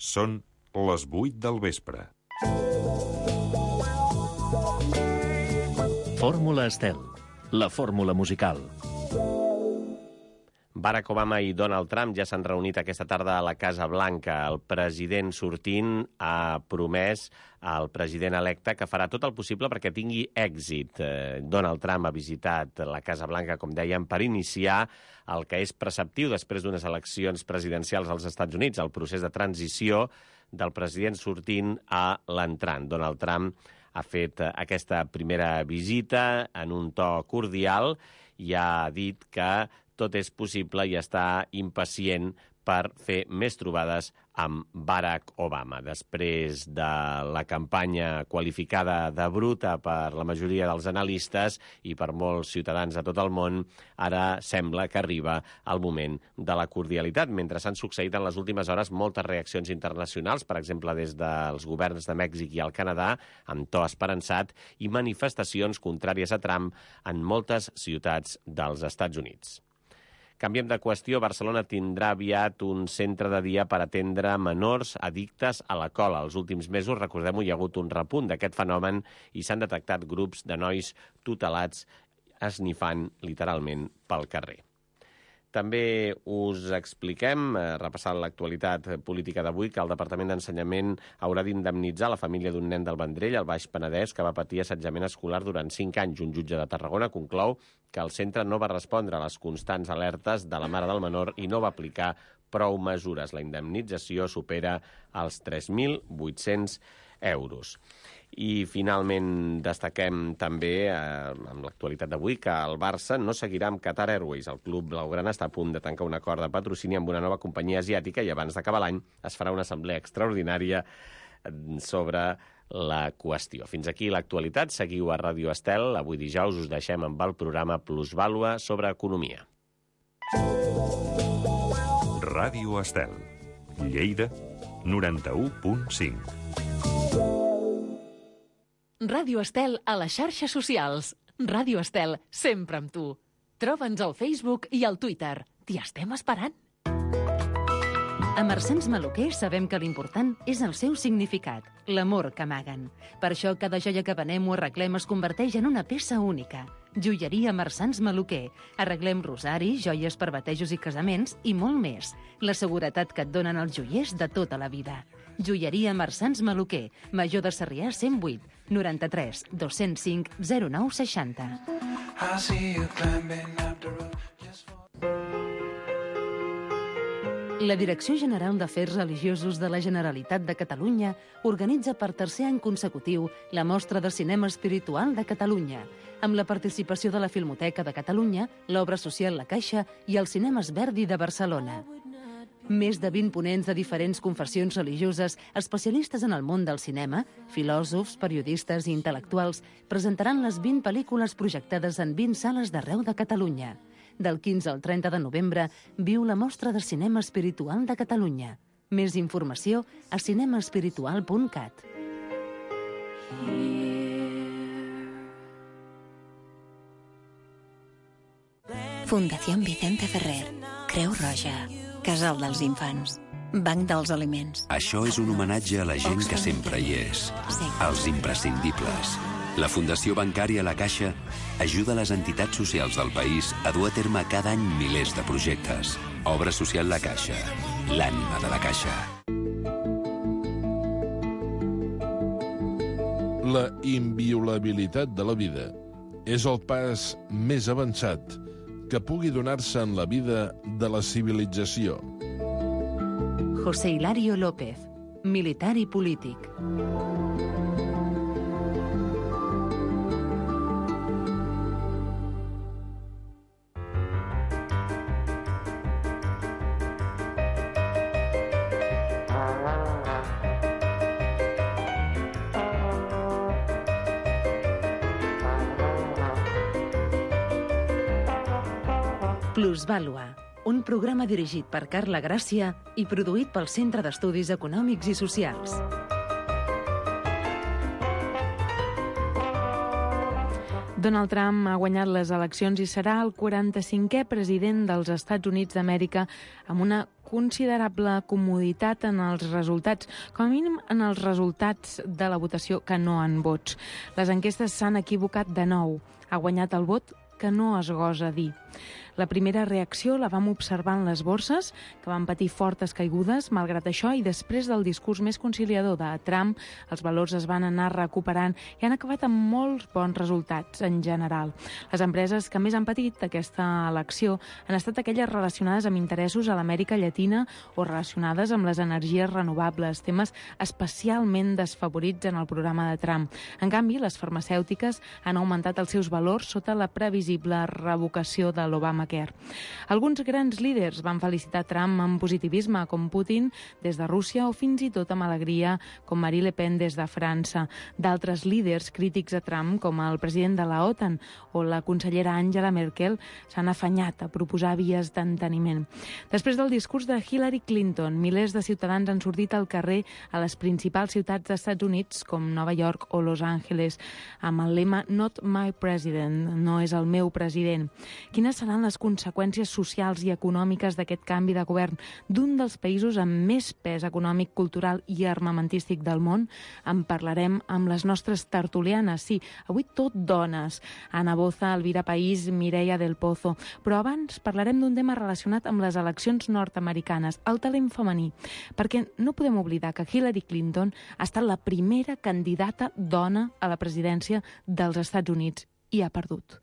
Són les 8 del vespre. Fórmula Estel, la fórmula musical. Barack Obama i Donald Trump ja s'han reunit aquesta tarda a la Casa Blanca. El president sortint ha promès al president electe que farà tot el possible perquè tingui èxit. Donald Trump ha visitat la Casa Blanca, com dèiem, per iniciar el que és preceptiu després d'unes eleccions presidencials als Estats Units, el procés de transició del president sortint a l'entrant. Donald Trump ha fet aquesta primera visita en un to cordial i ha dit que tot és possible i està impacient per fer més trobades amb Barack Obama. Després de la campanya qualificada de bruta per la majoria dels analistes i per molts ciutadans de tot el món, ara sembla que arriba el moment de la cordialitat. Mentre s'han succeït en les últimes hores moltes reaccions internacionals, per exemple des dels governs de Mèxic i el Canadà, amb to esperançat, i manifestacions contràries a Trump en moltes ciutats dels Estats Units. Canviem de qüestió. Barcelona tindrà aviat un centre de dia per atendre menors addictes a la cola. Els últims mesos, recordem-ho, hi ha hagut un repunt d'aquest fenomen i s'han detectat grups de nois tutelats esnifant literalment pel carrer. També us expliquem, repassant l'actualitat política d'avui, que el Departament d'Ensenyament haurà d'indemnitzar la família d'un nen del Vendrell, al Baix Penedès, que va patir assetjament escolar durant 5 anys. Un jutge de Tarragona conclou que el centre no va respondre a les constants alertes de la mare del menor i no va aplicar prou mesures. La indemnització supera els 3.800 euros. I finalment destaquem també, amb l'actualitat d'avui, que el Barça no seguirà amb Qatar Airways. El club blaugrana està a punt de tancar un acord de patrocini amb una nova companyia asiàtica i abans d'acabar l'any es farà una assemblea extraordinària sobre la qüestió. Fins aquí l'actualitat. Seguiu a Ràdio Estel. Avui dijous us deixem amb el programa Plusvàlua sobre economia. Ràdio Estel, Lleida, 91.5. Ràdio Estel a les xarxes socials. Ràdio Estel, sempre amb tu. Troba'ns al Facebook i al Twitter. T'hi estem esperant. A Marsans Maluquer sabem que l'important és el seu significat, l'amor que amaguen. Per això cada joia que venem o arreglem es converteix en una peça única. Joieria Marsans Maluquer. Arreglem rosaris, joies per batejos i casaments i molt més. La seguretat que et donen els joiers de tota la vida. Joieria Marsans Maluquer, Major de Sarrià 108, 93 205 0960. La Direcció General d'Afers Religiosos de la Generalitat de Catalunya organitza per tercer any consecutiu la Mostra de Cinema Espiritual de Catalunya, amb la participació de la Filmoteca de Catalunya, l'Obra Social La Caixa i el Cinemes Verdi de Barcelona. Més de 20 ponents de diferents confessions religioses, especialistes en el món del cinema, filòsofs, periodistes i intel·lectuals, presentaran les 20 pel·lícules projectades en 20 sales d'arreu de Catalunya. Del 15 al 30 de novembre viu la Mostra de Cinema Espiritual de Catalunya. Més informació a cinemaespiritual.cat. Fundació Vicente Ferrer, Creu Roja, Casal dels Infants, Banc dels Aliments. Això és un homenatge a la gent que sempre hi és, als imprescindibles. La Fundació Bancària La Caixa ajuda les entitats socials del país a dur a terme cada any milers de projectes. Obra social La Caixa, l'ànima de la Caixa. La inviolabilitat de la vida és el pas més avançat que pugui donar-se en la vida de la civilització. José Hilario López, militar i polític. Plusvàlua, un programa dirigit per Carla Gràcia i produït pel Centre d'Estudis Econòmics i Socials. Donald Trump ha guanyat les eleccions i serà el 45è president dels Estats Units d'Amèrica amb una considerable comoditat en els resultats, com a mínim en els resultats de la votació que no en vots. Les enquestes s'han equivocat de nou. Ha guanyat el vot que no es gosa dir. La primera reacció la vam observar en les borses, que van patir fortes caigudes, malgrat això, i després del discurs més conciliador de Trump, els valors es van anar recuperant i han acabat amb molts bons resultats en general. Les empreses que més han patit aquesta elecció han estat aquelles relacionades amb interessos a l'Amèrica Llatina o relacionades amb les energies renovables, temes especialment desfavorits en el programa de Trump. En canvi, les farmacèutiques han augmentat els seus valors sota la previsible revocació de l'Obamacare. Alguns grans líders van felicitar Trump amb positivisme, com Putin des de Rússia, o fins i tot amb alegria, com Marine Le Pen des de França. D'altres líders crítics a Trump, com el president de la OTAN o la consellera Angela Merkel, s'han afanyat a proposar vies d'enteniment. Després del discurs de Hillary Clinton, milers de ciutadans han sortit al carrer a les principals ciutats dels Estats Units, com Nova York o Los Angeles, amb el lema Not my president, no és el meu president. Quines seran les conseqüències socials i econòmiques d'aquest canvi de govern d'un dels països amb més pes econòmic, cultural i armamentístic del món? En parlarem amb les nostres tertulianes. Sí, avui tot dones. Ana Boza, Elvira País, Mireia del Pozo. Però abans parlarem d'un tema relacionat amb les eleccions nord-americanes, el talent femení, perquè no podem oblidar que Hillary Clinton ha estat la primera candidata dona a la presidència dels Estats Units i ha perdut.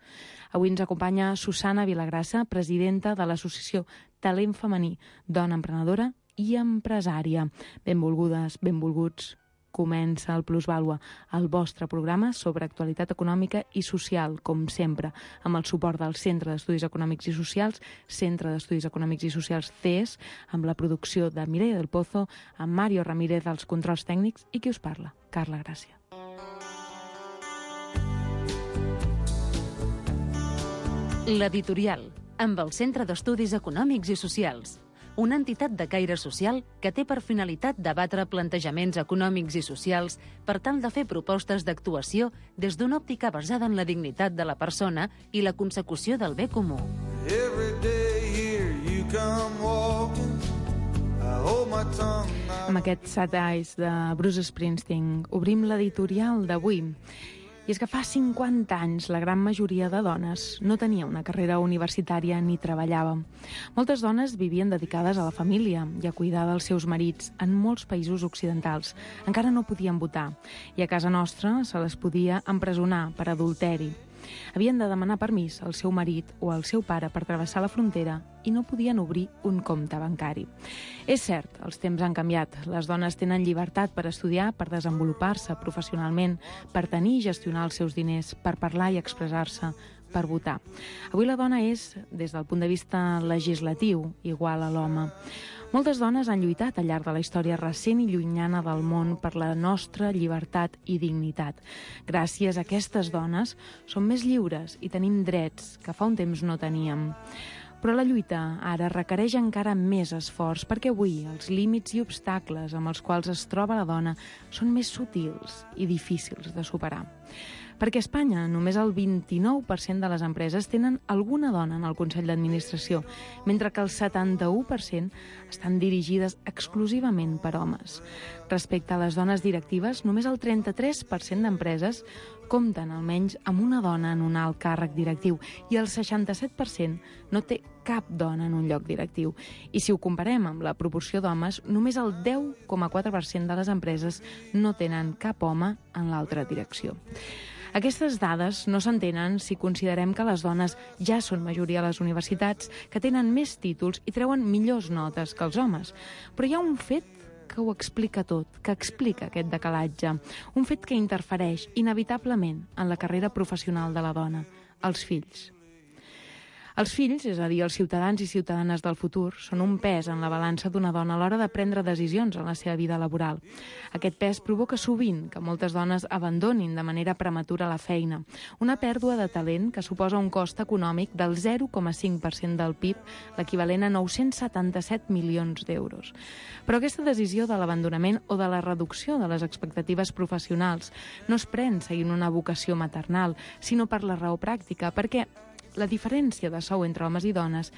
Avui ens acompanya Susana Vilagrassa, presidenta de l'associació Talent Femení, dona emprenedora i empresària. Benvolgudes, benvolguts. Comença el Plusvàlua, el vostre programa sobre actualitat econòmica i social, com sempre, amb el suport del Centre d'Estudis Econòmics i Socials, Centre d'Estudis Econòmics i Socials CES, amb la producció de Mireia del Pozo, amb Mario Ramírez dels controls tècnics i qui us parla, Carla Gràcia. L'editorial, amb el Centre d'Estudis Econòmics i Socials, una entitat de caire social que té per finalitat debatre plantejaments econòmics i socials per tal de fer propostes d'actuació des d'una òptica basada en la dignitat de la persona i la consecució del bé comú. Amb aquest Sad Eyes de Bruce Springsteen obrim l'editorial d'avui. I és que fa 50 anys la gran majoria de dones no tenia una carrera universitària ni treballava. Moltes dones vivien dedicades a la família i a cuidar dels seus marits en molts països occidentals. Encara no podien votar i a casa nostra se les podia empresonar per adulteri. Havien de demanar permís al seu marit o al seu pare per travessar la frontera i no podien obrir un compte bancari. És cert, els temps han canviat. Les dones tenen llibertat per estudiar, per desenvolupar-se professionalment, per tenir i gestionar els seus diners, per parlar i expressar-se, per votar. Avui la dona és, des del punt de vista legislatiu, igual a l'home. Moltes dones han lluitat al llarg de la història recent i llunyana del món per la nostra llibertat i dignitat. Gràcies a aquestes dones som més lliures i tenim drets que fa un temps no teníem. Però la lluita ara requereix encara més esforç perquè avui els límits i obstacles amb els quals es troba la dona són més sutils i difícils de superar. Perquè a Espanya només el 29% de les empreses tenen alguna dona en el Consell d'Administració, mentre que el 71% estan dirigides exclusivament per homes. Respecte a les dones directives, només el 33% d'empreses compten almenys amb una dona en un alt càrrec directiu i el 67% no té cap dona en un lloc directiu. I si ho comparem amb la proporció d'homes, només el 10,4% de les empreses no tenen cap home en l'altra direcció. Aquestes dades no s'entenen si considerem que les dones ja són majoria a les universitats, que tenen més títols i treuen millors notes que els homes. Però hi ha un fet que ho explica tot, que explica aquest decalatge. Un fet que interfereix inevitablement en la carrera professional de la dona, els fills. Els fills, és a dir, els ciutadans i ciutadanes del futur, són un pes en la balança d'una dona a l'hora de prendre decisions en la seva vida laboral. Aquest pes provoca sovint que moltes dones abandonin de manera prematura la feina, una pèrdua de talent que suposa un cost econòmic del 0,5% del PIB, l'equivalent a 977 milions d'euros. Però aquesta decisió de l'abandonament o de la reducció de les expectatives professionals no es pren seguint una vocació maternal, sinó per la raó pràctica, perquè la diferència de sou entre homes i dones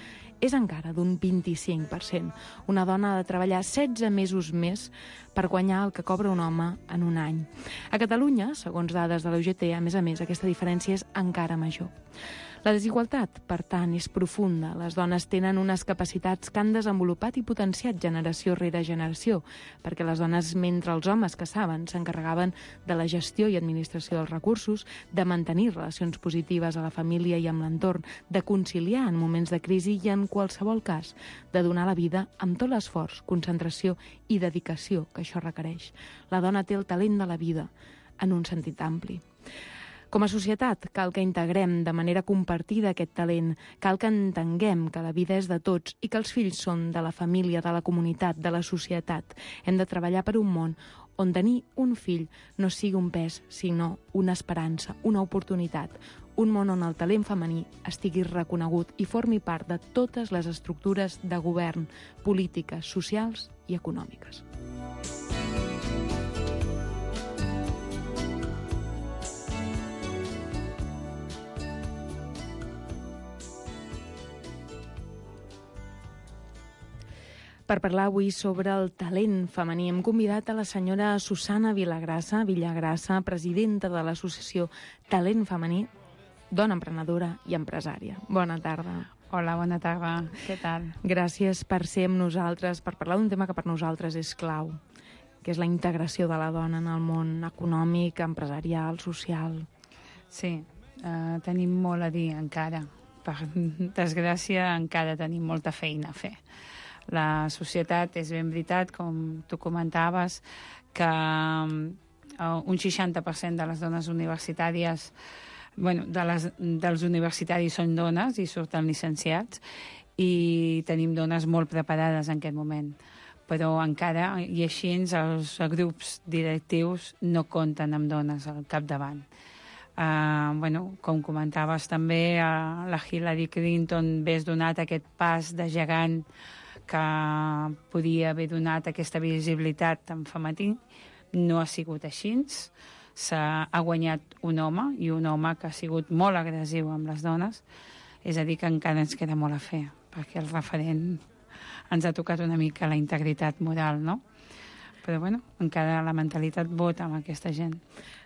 és encara d'un 25%. Una dona ha de treballar 16 mesos més per guanyar el que cobra un home en un any. A Catalunya, segons dades de la UGT, a més, aquesta diferència és encara major. La desigualtat, per tant, és profunda. Les dones tenen unes capacitats que han desenvolupat i potenciat generació rere generació, perquè les dones, mentre els homes que saben, s'encarregaven de la gestió i administració dels recursos, de mantenir relacions positives a la família i amb l'entorn, de conciliar en moments de crisi i, en qualsevol cas, de donar la vida amb tot l'esforç, concentració i dedicació que això requereix. La dona té el talent de la vida, en un sentit ampli. Com a societat, cal que integrem de manera compartida aquest talent, cal que entenguem que la vida és de tots i que els fills són de la família, de la comunitat, de la societat. Hem de treballar per un món on tenir un fill no sigui un pes, sinó una esperança, una oportunitat. Un món on el talent femení estigui reconegut i formi part de totes les estructures de govern, polítiques, socials i econòmiques. Per parlar avui sobre el talent femení hem convidat a la senyora Susana Villagrasa, presidenta de l'associació Talent Femení, dona emprenedora i empresària. Bona tarda. Hola, bona tarda. Què tal? Gràcies per ser amb nosaltres, per parlar d'un tema que per nosaltres és clau, que és la integració de la dona en el món econòmic, empresarial, social. Sí, tenim molt a dir encara. Per desgràcia, encara tenim molta feina a fer. La societat, és ben veritat, com tu comentaves, que un 60% de les dones universitàries, dels universitaris són dones i surten llicenciats, i tenim dones molt preparades en aquest moment. Però encara, i així, els grups directius no compten amb dones al capdavant. Com comentaves també, la Hillary Clinton ves donat aquest pas de gegant que podia haver donat aquesta visibilitat en femení. No ha sigut així. Ha guanyat un home, i un home que ha sigut molt agressiu amb les dones. És a dir, que encara ens queda molt a fer, perquè el referent ens ha tocat una mica la integritat moral, no? Però, encara la mentalitat vota amb aquesta gent.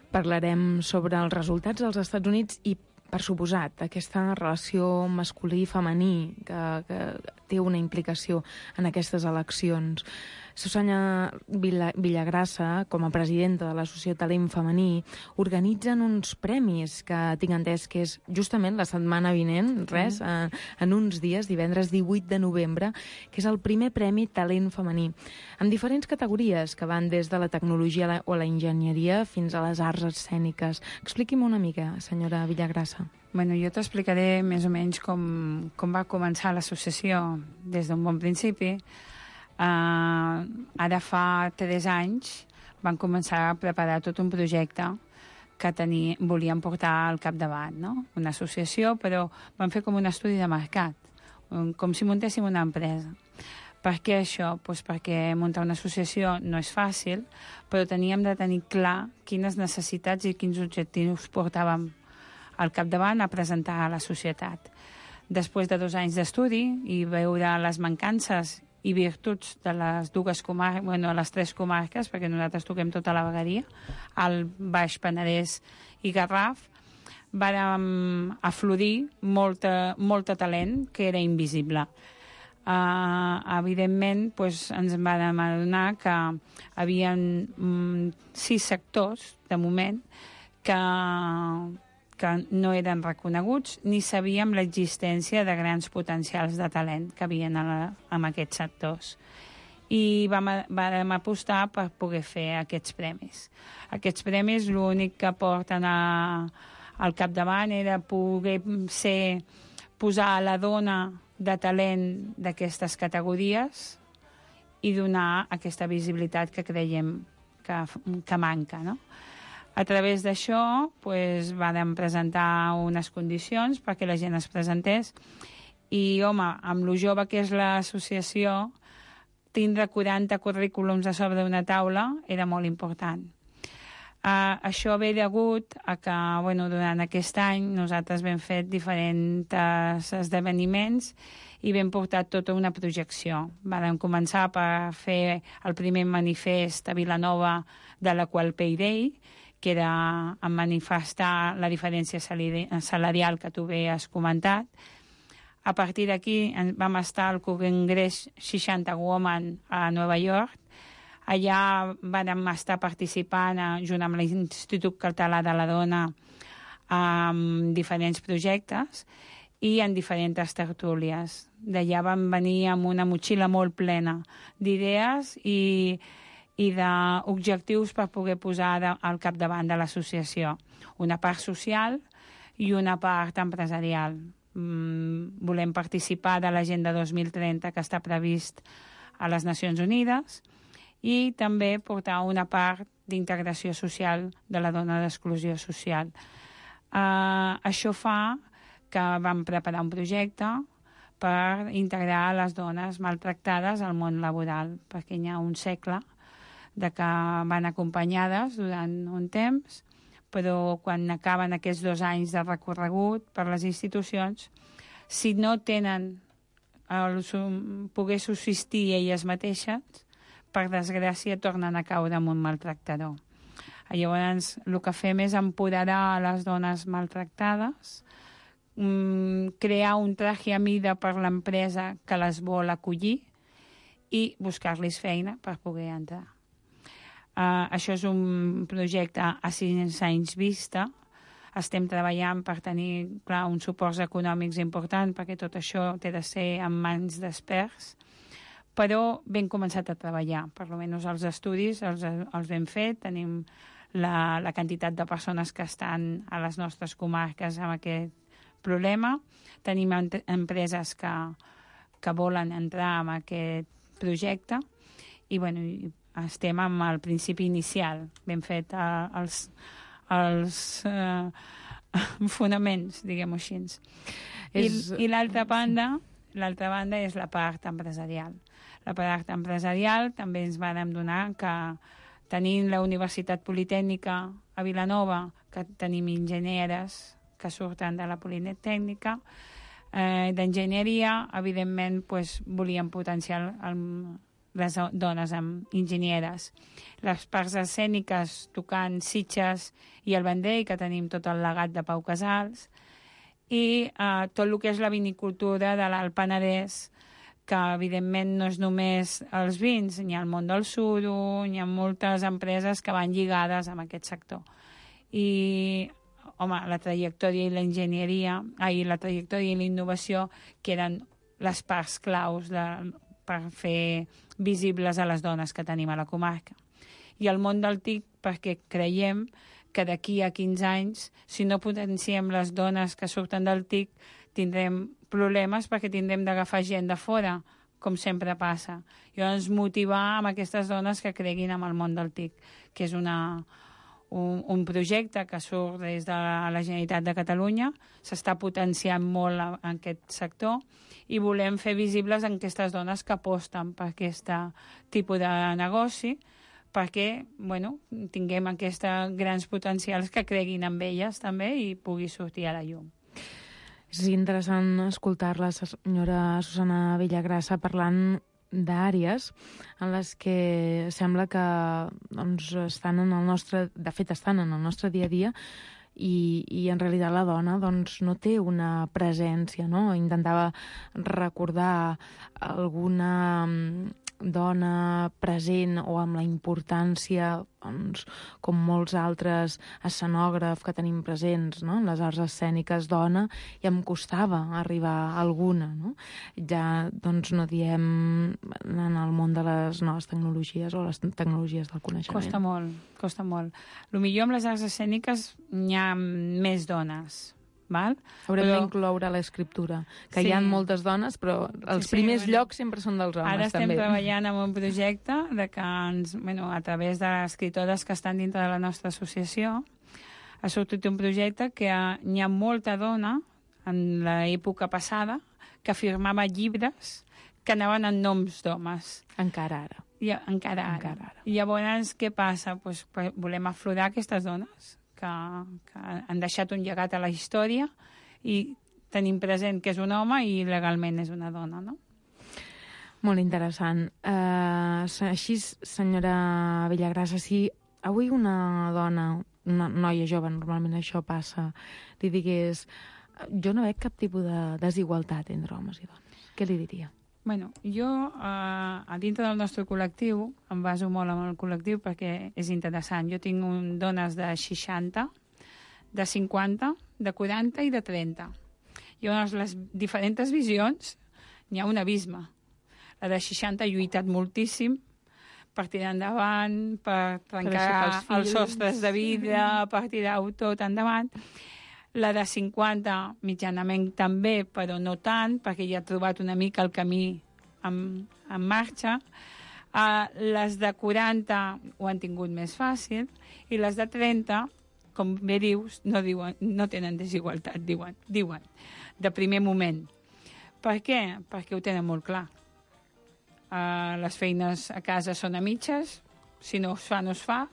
Parlarem sobre els resultats dels Estats Units i, per suposat, aquesta relació masculí-femení que té una implicació en aquestes eleccions. Susana Villagrasa, com a presidenta de l'Associació Talent Femení, organitzen uns premis que tinc entès que és justament la setmana vinent, en uns dies, divendres 18 de novembre, que és el primer premi Talent Femení, amb diferents categories que van des de la tecnologia o la enginyeria fins a les arts escèniques. Expliqui'm una mica, senyora Villagrasa. Jo t'explicaré més o menys com va començar l'associació des d'un bon principi. Ara fa 3 anys van començar a preparar tot un projecte que volíem portar al capdavant, no? Una associació, però van fer com un estudi de mercat, com si muntéssim una empresa. Per què això? Perquè muntar una associació no és fàcil, però teníem de tenir clar quines necessitats i quins objectius portàvem al capdavant a presentar a la societat. Després de 2 anys d'estudi i veure les mancances i virtuts de les dues comarques, les 3 comarques, perquè nosaltres toquem tota la vegueria, al Baix Penedès i Garraf, vàrem aflorir molt talent que era invisible. Evidentment, ens vam adonar que hi havia 6 sectors, de moment, que no eren reconeguts ni sabíem l'existència de grans potencials de talent que havien en aquests sectors. I vam apostar per poder fer aquests premis. Aquests premis l'únic que porten al capdavant era poder ser posar la dona de talent d'aquestes categories i donar aquesta visibilitat que creiem que manca, no? A través d'això vam presentar unes condicions perquè la gent es presentés i, home, amb lo jove que és l'associació, tindre 40 currículums a sobre d'una taula era molt important. Això ve degut a que durant aquest any nosaltres vam fer diferents esdeveniments i vam portar tota una projecció. Vam començar per fer el primer manifest a Vilanova de la Qual Pay Day, que era en manifestar la diferència salarial que tu bé has comentat. A partir d'aquí vam estar al Congrés 60 Women a Nova York. Allà vam estar participant junt amb l'Institut Català de la Dona en diferents projectes i en diferents tertúlies. D'allà vam venir amb una motxilla molt plena d'idees i d'objectius per poder posar al capdavant de l'associació. Una part social i una part empresarial. Volem participar de l'Agenda 2030 que està previst a les Nacions Unides i també portar una part d'integració social de la dona d'exclusió social. Això fa que vam preparar un projecte per integrar les dones maltractades al món laboral, perquè hi ha un segle de que van acompanyades durant un temps, però quan acaben aquests 2 anys de recorregut per les institucions, si no tenen poder subsistir elles mateixes, per desgràcia tornen a caure en un maltractador. Llavors, el que fem és empoderar les dones maltractades, crear un traje a mida per l'empresa que les vol acollir i buscar-los feina per poder entrar. Això és un projecte a 5 anys vista. Estem treballant per tenir, clar, uns suports econòmics importants perquè tot això té de ser en mans d'experts, però ben començat a treballar. Per almenys els estudis els hem fet, tenim la quantitat de persones que estan a les nostres comarques amb aquest problema, tenim empreses que volen entrar en aquest projecte i, estem amb el principi inicial. Ben fet els fonaments, diguem-ho així. I l'altra banda és la part empresarial. La part empresarial també ens vam donar que tenint la Universitat Politècnica a Vilanova, que tenim enginyeres que surten de la Politècnica, d'enginyeria, evidentment volíem potenciar les dones amb enginyeres. Les parts escèniques tocant Sitges i el Vendrell, que tenim tot el legat de Pau Casals, i tot el que és la vinicultura de l'Alt Penedès, que evidentment no és només els vins, hi ha el món del suro, hi ha moltes empreses que van lligades amb aquest sector. I, home, la trajectòria i l'enginyeria, la trajectòria i la innovació, que eren les parts claus per fer visibles a les dones que tenim a la comarca. I el món del TIC, perquè creiem que d'aquí a 15 anys, si no potenciem les dones que surten del TIC, tindrem problemes perquè tindrem d'agafar gent de fora, com sempre passa. Llavors, motivar amb aquestes dones que creguin en el món del TIC, que és un projecte que surt des de la Generalitat de Catalunya, s'està potenciant molt en aquest sector, i volem fer visibles aquestes dones que aposten per aquest tipus de negoci, perquè tinguem aquests grans potencials que creguin en elles també i pugui sortir a la llum. És interessant escoltar la senyora Susana Villagrassa parlant d'àrees en les que sembla que estan en el nostre... De fet, estan en el nostre dia a dia i en realitat la dona no té una presència, no? Intentava recordar alguna dona present o amb la importància, com molts altres escenògrafs que tenim presents, no? Les arts escèniques dona, i em costava arribar a alguna, no? Ja, no diem en el món de les noves tecnologies o les tecnologies del coneixement. Costa molt, costa molt. El millor amb les arts escèniques hi ha més dones, val? Haurem d'incloure l'escriptura, que hi ha moltes dones, però els primers llocs sempre són dels homes. Ara estem també. treballant en un projecte de que a través de les escritores que estan dintre de la nostra associació ha sortit un projecte que n'hi ha molta dona en l'època passada que firmava llibres que anaven en noms d'homes. Encara ara. Encara ara. I llavors, què passa? Pues, volem aflorar aquestes dones que han deixat un llegat a la història i tenim present que és un home i legalment és una dona, no? Molt interessant. Així, senyora Villagrasa, si avui una dona, una noia jove, normalment això passa, li digués jo no veig cap tipus de desigualtat entre homes i dones, què li diria? Bueno, jo, a dintre del nostre col·lectiu, em baso molt en el col·lectiu perquè és interessant. Jo tinc dones de 60, de 50, de 40 i de 30. Llavors, les diferents visions, n'hi ha un abisme. La de 60 ha lluitat moltíssim per tirar endavant, per trencar els sostres de vida, per tirar-ho tot endavant. La de 50, mitjanament també, però no tant, perquè ja ha trobat una mica el camí en marxa. Les de 40 ho han tingut més fàcil, i les de 30, com bé dius, no tenen desigualtat, diuen, de primer moment. Per què? Perquè ho tenen molt clar. Les feines a casa són a mitges, si no es fa, no es fa.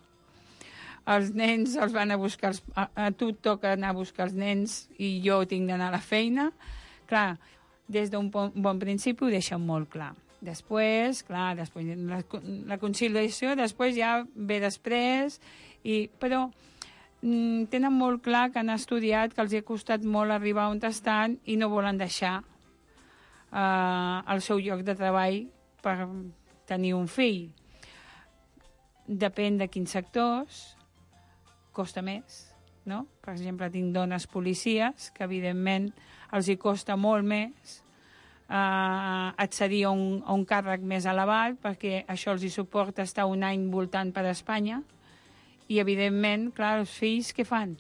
Els nens els van a buscar, a tu et toca anar a buscar els nens i jo tinc d'anar a la feina. Clar, des d'un bon principi ho deixen molt clar. Després, clar, la conciliació després ja ve després, però tenen molt clar que han estudiat, que els ha costat molt arribar on estan i no volen deixar el seu lloc de treball per tenir un fill. Depèn de quins sectors, costa més, no? Per exemple, tinc dones policies que, evidentment, els hi costa molt més accedir a un càrrec més elevat perquè això els hi suporta estar un any voltant per Espanya i, evidentment, clar, els fills què fan?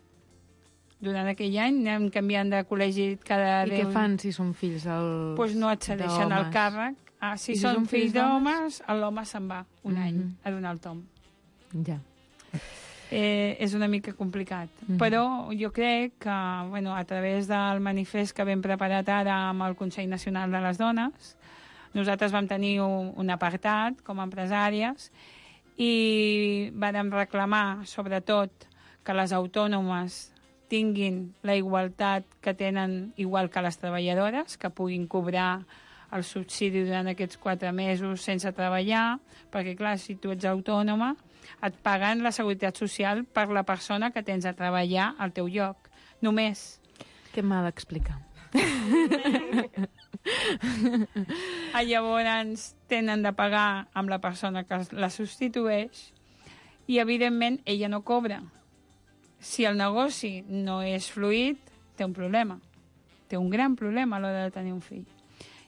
Durant aquell any anem canviant de col·legi cada 10... I què fan si són fills d'homes? Doncs no accedeixen al càrrec. Si són fills d'homes, l'home se'n va un any a donar el tom. Ja. És una mica complicat. Però jo crec que a través del manifest que vam preparat ara amb el Consell Nacional de les Dones, nosaltres vam tenir un apartat com a empresàries i vam reclamar, sobretot, que les autònomes tinguin la igualtat que tenen igual que les treballadores, que puguin cobrar el subsidi durant aquests 4 mesos sense treballar, perquè, clar, si tu ets autònoma, et paguen la seguretat social per la persona que tens a treballar al teu lloc. Només. Què m'ha d'explicar? Llavors tenen de pagar amb la persona que la substitueix i, evidentment, ella no cobra. Si el negoci no és fluid, té un problema. Té un gran problema a l'hora de tenir un fill.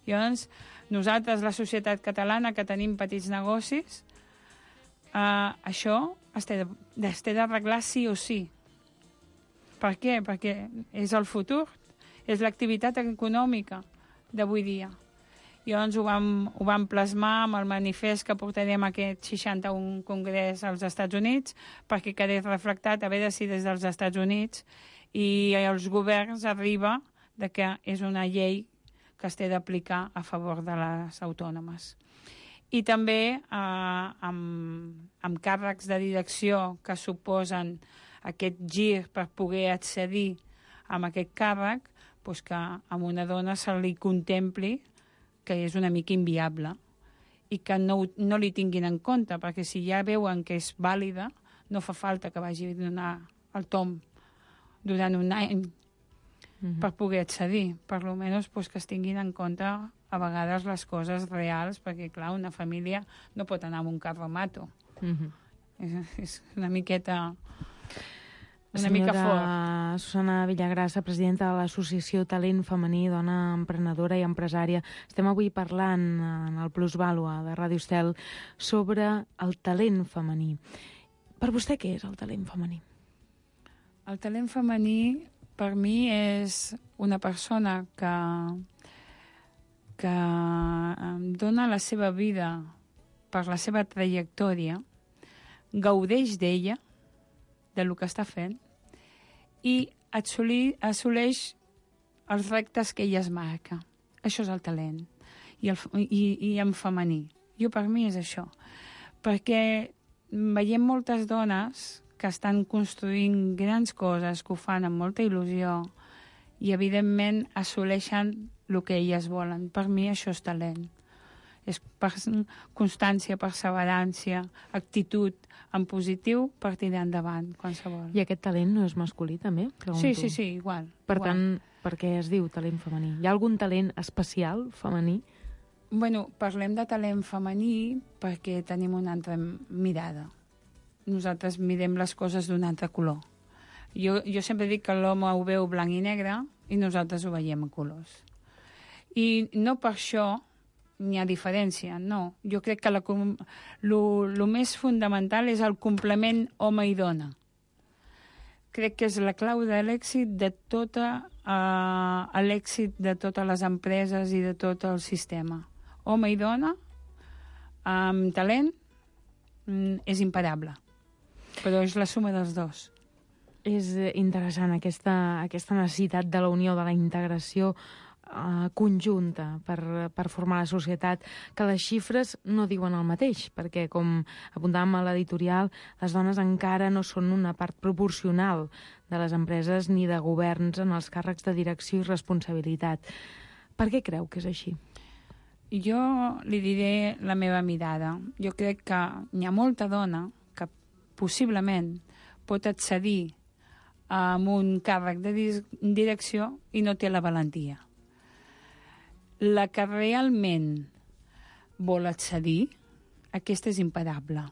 Llavors, nosaltres, la societat catalana, que tenim petits negocis, això es té d'arreglar sí o sí. Per què? Perquè és el futur, és l'activitat econòmica d'avui dia. Llavors ho vam plasmar amb el manifest que portarem a aquest 61 congrés als Estats Units perquè quedés reflectat a veure si des dels Estats Units i els governs arriba de que és una llei que es té d'aplicar a favor de les autònomes. I també amb càrrecs de direcció que suposen aquest gir per poder accedir a aquest càrrec, doncs que a una dona se li contempli que és una mica inviable i que no li tinguin en compte, perquè si ja veuen que és vàlida, no fa falta que vagi a donar el tom durant un any per poder accedir. Per almenys que es tinguin en compte a vegades les coses reals, perquè, clar, una família no pot anar amb un carromato. És una miqueta... una mica fort. Susana Villagrasa, presidenta de l'Associació Talent Femení, dona emprenedora i empresària. Estem avui parlant en el Plusvàlua de Ràdio Estel sobre el talent femení. Per vostè, què és el talent femení? El talent femení per mi és una persona que dona la seva vida per la seva trajectòria, gaudeix d'ella, del que està fent, i assoleix els reptes que ella es marca. Això és el talent. I en femení. Per mi és això. Perquè veiem moltes dones que estan construint grans coses, que ho fan amb molta il·lusió i, evidentment, assoleixen el que elles volen. Per mi això és talent. És constància, perseverància, actitud en positiu per tirar endavant, qualsevol. I aquest talent no és masculí, també? Sí, igual. Per tant, per què es diu talent femení? Hi ha algun talent especial femení? Bueno, parlem de talent femení perquè tenim una altra mirada. Nosaltres mirem les coses d'un altre color. Jo sempre dic que l'home ho veu blanc i negre i nosaltres ho veiem a colors. I no per això n'hi ha diferència, no. Jo crec que el més fundamental és el complement home i dona. Crec que és la clau de l'èxit de l'èxit de totes les empreses i de tot el sistema. Home i dona, amb talent, és imparable. Però és la suma dels dos. És interessant aquesta necessitat de la unió, de la integració conjunta per formar la societat, que les xifres no diuen el mateix, perquè, com apuntàvem a l'editorial, les dones encara no són una part proporcional de les empreses ni de governs en els càrrecs de direcció i responsabilitat. Per què creu que és així? Jo li diré la meva mirada. Jo crec que hi ha molta dona que possiblement pot accedir a un càrrec de direcció i no té la valentia. La que realment vol accedir, aquesta és imparable.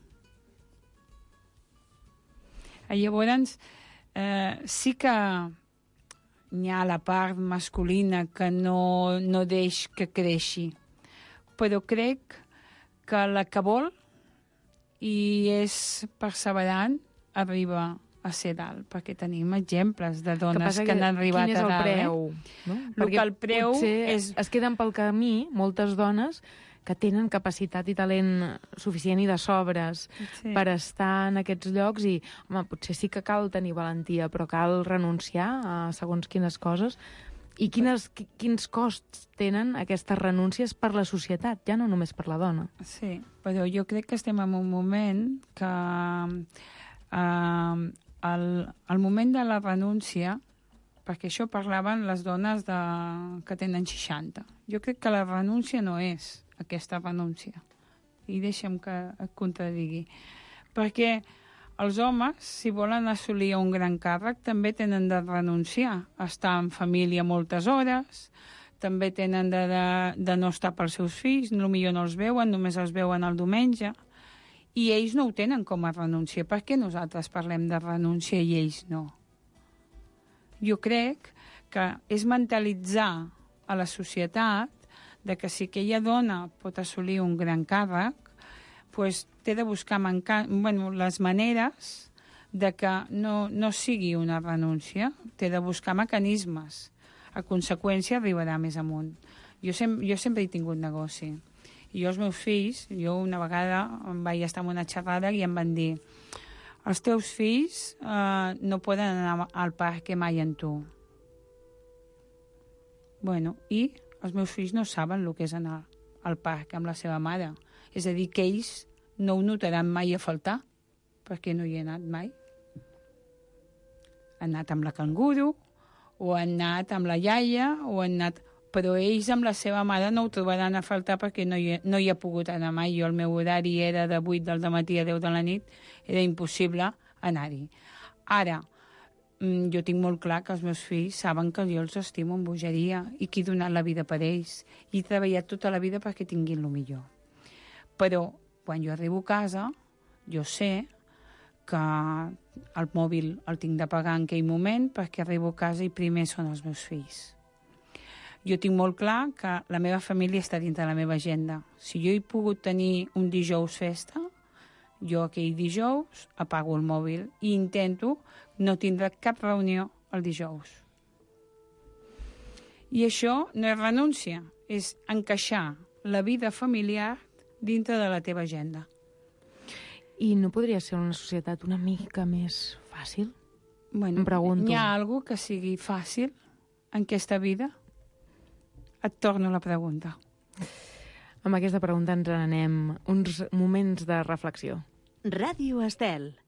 Llavors, sí que hi ha la part masculina que no deix que creixi, però crec que la que vol i és perseverant arriba a ser dalt, perquè tenim exemples de dones que han arribat a dalt. Quin és el preu? No? Perquè el preu és... es queden pel camí moltes dones que tenen capacitat i talent suficient i de sobres per estar en aquests llocs i, home, potser sí que cal tenir valentia, però cal renunciar a segons quines coses. I quins costs tenen aquestes renúncies per la societat, ja no només per la dona? Sí, però jo crec que estem en un moment que... el moment de la renúncia, perquè això parlaven les dones que tenen 60. Jo crec que la renúncia no és aquesta renúncia. I deixa'm que et contradigui. Perquè els homes, si volen assolir un gran càrrec, també tenen de renunciar a estar en família moltes hores, també tenen de no estar pels seus fills, potser no els veuen, només els veuen el diumenge, i ells no ho tenen com a renúncia. Per què nosaltres parlem de renúncia i ells no? Jo crec que és mentalitzar a la societat de que si aquella dona pot assolir un gran càrrec, pues, té de buscar les maneres de que no sigui una renúncia, té de buscar mecanismes. A conseqüència arribarà més amunt. Jo sempre he tingut negoci. I els meus fills, jo una vegada vaig estar en una xerrada i em van dir: els teus fills no poden anar al parc mai amb tu. Bueno, i els meus fills no saben el que és anar al parc amb la seva mare. És a dir, que ells no ho notaran mai a faltar, perquè no hi he anat mai. Han anat amb la canguro, o han anat amb la iaia, o han anat... Però ells amb la seva mare no ho trobaran a faltar perquè no hi ha pogut anar mai. Jo el meu horari era de 8 del matí a 10 de la nit, era impossible anar-hi. Ara, jo tinc molt clar que els meus fills saben que jo els estimo amb bogeria i que he donat la vida per ells. I he treballat tota la vida perquè tinguin el millor. Però quan jo arribo a casa, jo sé que el mòbil el tinc de pagar en aquell moment perquè arribo a casa i primer són els meus fills. Jo tinc molt clar que la meva família està dins de la meva agenda. Si jo he pogut tenir un dijous festa, jo aquell dijous apago el mòbil i intento no tindre cap reunió el dijous. I això no és renúncia, és encaixar la vida familiar dintre de la teva agenda. I no podria ser una societat una mica més fàcil? Bueno, em pregunto. Hi ha alguna que sigui fàcil en aquesta vida? Et torno la pregunta. Amb aquesta pregunta ens n'anem uns moments de reflexió. Ràdio Estel.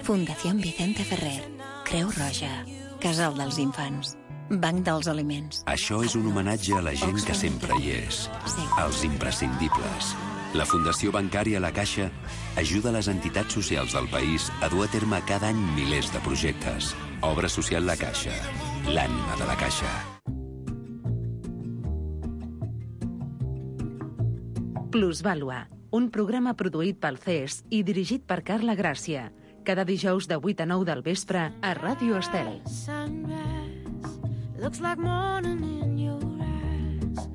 Fundació Vicente Ferrer, Creu Roja, Casal dels Infants, Banc dels Aliments. Això és un homenatge a la gent que sempre hi és. Els imprescindibles. La Fundació Bancària La Caixa ajuda les entitats socials del país a dur a terme cada any milers de projectes. Obra social La Caixa, l'ànima de la Caixa. Plusvàlua, un programa produït pel CES i dirigit per Carla Gràcia. Cada dijous de 8 a 9 del vespre a Ràdio Estel. Looks like morning in your eyes,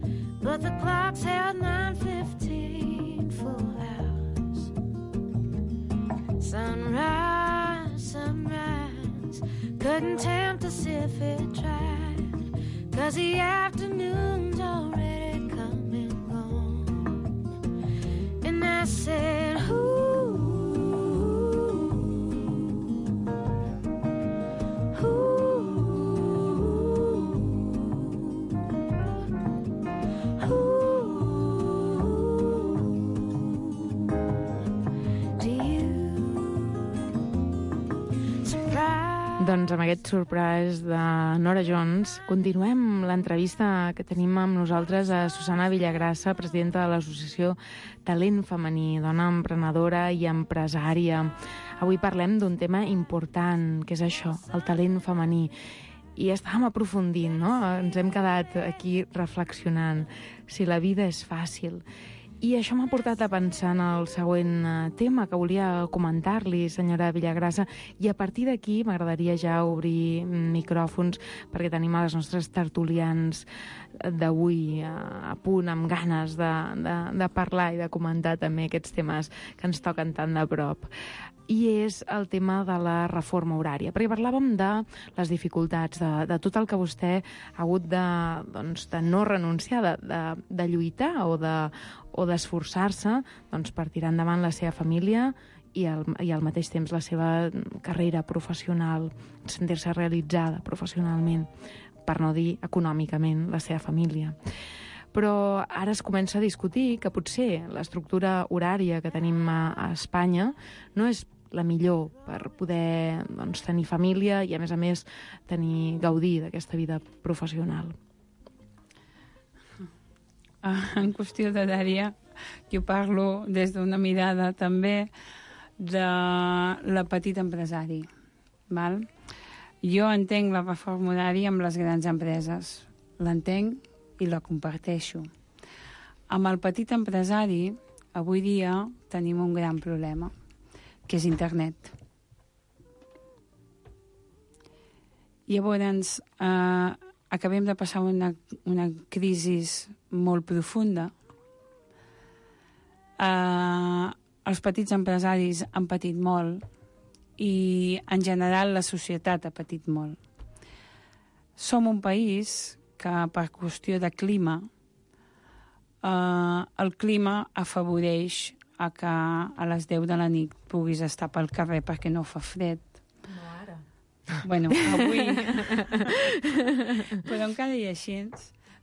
but the clock's held 9:15 full hours. Sunrise, sunrise, couldn't tempt us if it tried, 'cause the afternoon's already come and gone. And I said, Doncs amb aquest surprise de Nora Jones continuem l'entrevista que tenim amb nosaltres a Susana Villagrasa, presidenta de l'associació Talent Femení, dona emprenedora i empresària. Avui parlem d'un tema important, que és això, el talent femení. I estàvem aprofundint, no? Ens hem quedat aquí reflexionant si la vida és fàcil. I això m'ha portat a pensar en el següent tema que volia comentar-li, senyora Villagrasa, i a partir d'aquí m'agradaria ja obrir micròfons perquè tenim a les nostres tertulians d'avui a punt, amb ganes de parlar i de comentar també aquests temes que ens toquen tan de prop. I és el tema de la reforma horària, perquè parlàvem de les dificultats, de tot el que vostè ha hagut de no renunciar, de lluitar o d'esforçar-se per tirar endavant la seva família i al mateix temps la seva carrera professional, sentir-se realitzada professionalment, per no dir econòmicament, la seva família. Però ara es comença a discutir que potser l'estructura horària que tenim a Espanya no és la millor per poder tenir família i, a més, gaudir d'aquesta vida professional. En qüestió d'horària, jo parlo des d'una mirada també de la petita empresari. Val? Jo entenc la reforma horària amb les grans empreses. L'entenc i la comparteixo. Amb el petit empresari, avui dia, tenim un gran problema, que és internet. Llavors, acabem de passar una crisi molt profunda. Els petits empresaris han patit molt i, en general, la societat ha patit molt. Som un país que, per qüestió de clima, el clima afavoreix a que a les 10 de la nit puguis estar pel carrer perquè no fa fred. No ara. Bueno, avui. Però encara i així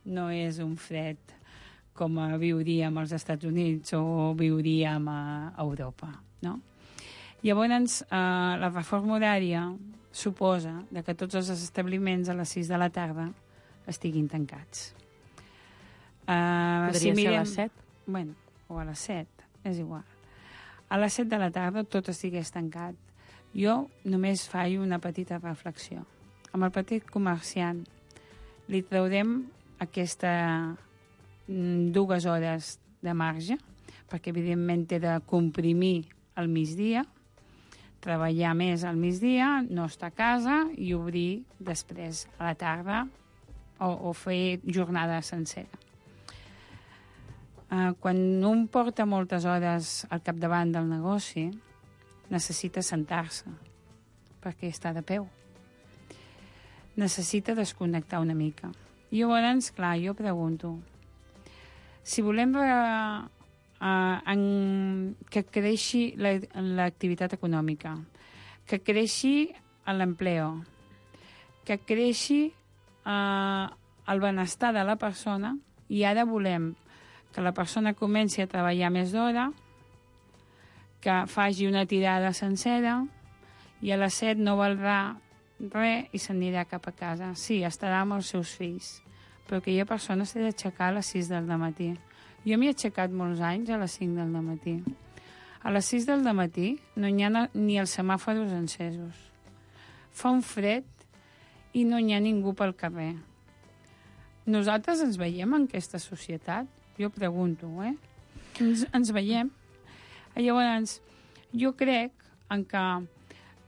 no és un fred com viuríem als Estats Units o viuríem a Europa, no? Llavors, la reforma horària suposa que tots els establiments a les 6 de la tarda estiguin tancats. Podria ser a les 7? Bueno, o a les 7. És igual. A les 7 de la tarda tot estigués tancat. Jo només faig una petita reflexió. Amb el petit comerciant li traurem aquestes 2 hores de marge, perquè evidentment té de comprimir al migdia, treballar més al migdia, no estar a casa i obrir després a la tarda o fer jornada sencera. Quan un porta moltes hores al capdavant del negoci, necessita sentar-se, perquè està de peu. necessita desconnectar una mica. I llavors, clar, jo pregunto, si volem que creixi l'activitat econòmica, que creixi l'empleo, que creixi el benestar de la persona, i ara volem que la persona comenci a treballar més d'hora, que faci una tirada sencera, i a les 7 no valdrà res i s'anirà cap a casa. Sí, estarà amb els seus fills, però aquella persona s'ha d'aixecar a les 6 del matí. Jo m'he aixecat molts anys a les 5 del matí. A les 6 del matí no hi ha ni els semàforos encesos. Fa un fred i no hi ha ningú pel carrer. Nosaltres ens veiem en aquesta societat? Jo pregunto, Ens veiem? Llavors, jo crec en que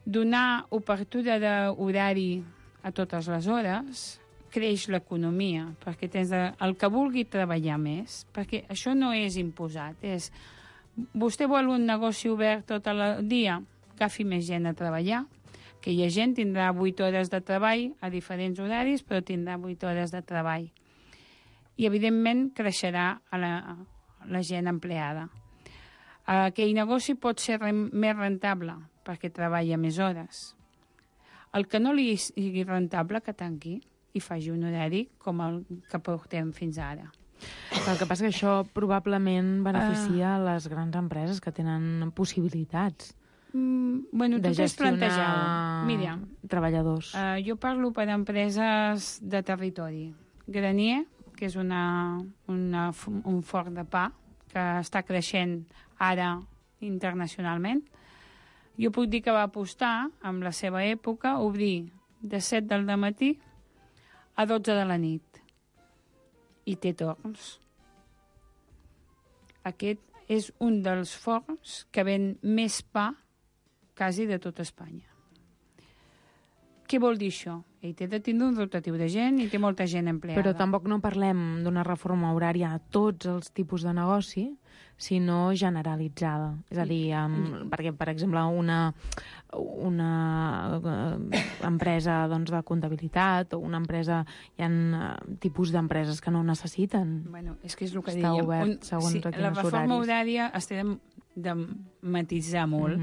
donar obertura d'horari a totes les hores creix l'economia, perquè tens el que vulgui treballar més, perquè això no és imposat, és vostè vol un negoci obert tot el dia, agafi més gent a treballar, que hi ha gent tindrà 8 hores de treball a diferents horaris, però tindrà 8 hores de treball. I, evidentment, creixerà la gent empleada. Aquell negoci pot ser més rentable, perquè treballa més hores. El que no li sigui rentable, que tanqui i faci un horari com el que portem fins ara. El que passa que això probablement beneficia les grans empreses que tenen possibilitats de gestionar treballadors. Jo parlo per empreses de territori. Granier, que és un forn de pa que està creixent ara internacionalment, jo puc dir que va apostar, en la seva època, obrir de 7 del matí a 12 de la nit. I té torns. Aquest és un dels forns que ven més pa quasi de tot Espanya. Què vol dir això? Ell té de tindre un rotatiu de gent i té molta gent empleada. Però tampoc no parlem d'una reforma horària a tots els tipus de negoci, sinó generalitzada. És a dir, perquè, per exemple, una empresa de comptabilitat o una empresa... Hi ha tipus d'empreses que no ho necessiten. Bueno, és que és el que està dèiem. Obert segons quins horaris. La reforma horària es té de matitzar molt,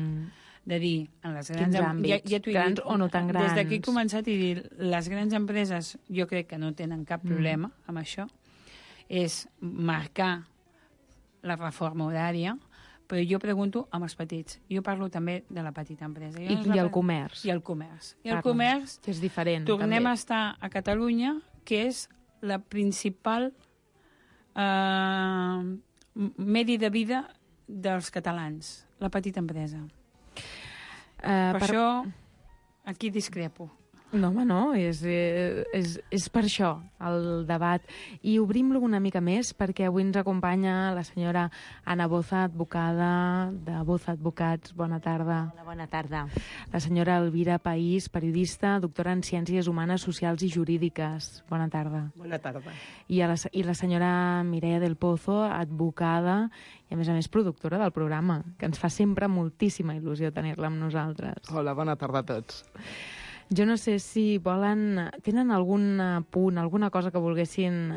de dir, en les grans àmbits, grans o no tan grans. Des d'aquí he començat a dir, les grans empreses jo crec que no tenen cap problema amb això, és marcar la reforma horària, però jo pregunto amb els petits. Jo parlo també de la petita empresa. I el comerç. I el comerç. I el comerç, que és diferent. Tornem també a estar a Catalunya, que és la principal medi de vida dels catalans, la petita empresa. Per això, aquí discrepo. No, home, no, és per això el debat. I obrim-lo una mica més perquè avui ens acompanya la senyora Anna Boza, advocada de Boza Advocats. Bona tarda. Hola, bona tarda. La senyora Elvira País, periodista, doctora en Ciències Humanes, Socials i Jurídiques. Bona tarda. Bona tarda. I la senyora Mireia del Pozo, advocada i, a més, productora del programa, que ens fa sempre moltíssima il·lusió tenir-la amb nosaltres. Hola, bona tarda a tots. Jo no sé si tenen algun punt, alguna cosa que volguessin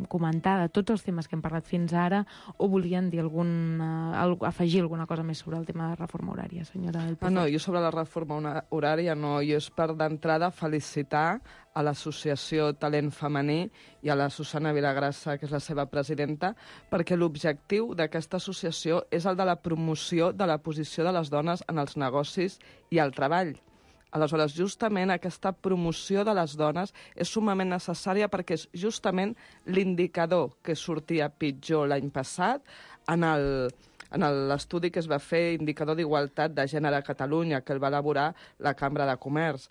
comentar de tots els temes que hem parlat fins ara, o volien dir afegir alguna cosa més sobre el tema de reforma horària, senyora del Pozo? No, jo sobre la reforma horària no. Jo és per d'entrada felicitar a l'associació Talent Femení i a la Susana Vilagrassa, que és la seva presidenta, perquè l'objectiu d'aquesta associació és el de la promoció de la posició de les dones en els negocis i el treball. Aleshores, justament aquesta promoció de les dones és sumament necessària perquè és justament l'indicador que sortia pitjor l'any passat en l'estudi que es va fer, indicador d'igualtat de gènere a Catalunya, que el va elaborar la Cambra de Comerç.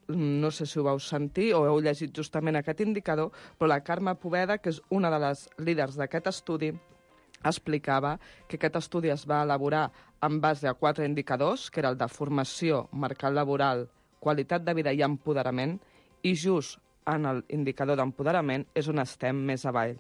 No sé si ho vau sentir o heu llegit justament aquest indicador, però la Carme Poveda, que és una de les líders d'aquest estudi, explicava que aquest estudi es va elaborar en base a 4 indicadors, que era el de formació, mercat laboral, qualitat de vida i empoderament, i just en l'indicador d'empoderament és on estem més avall.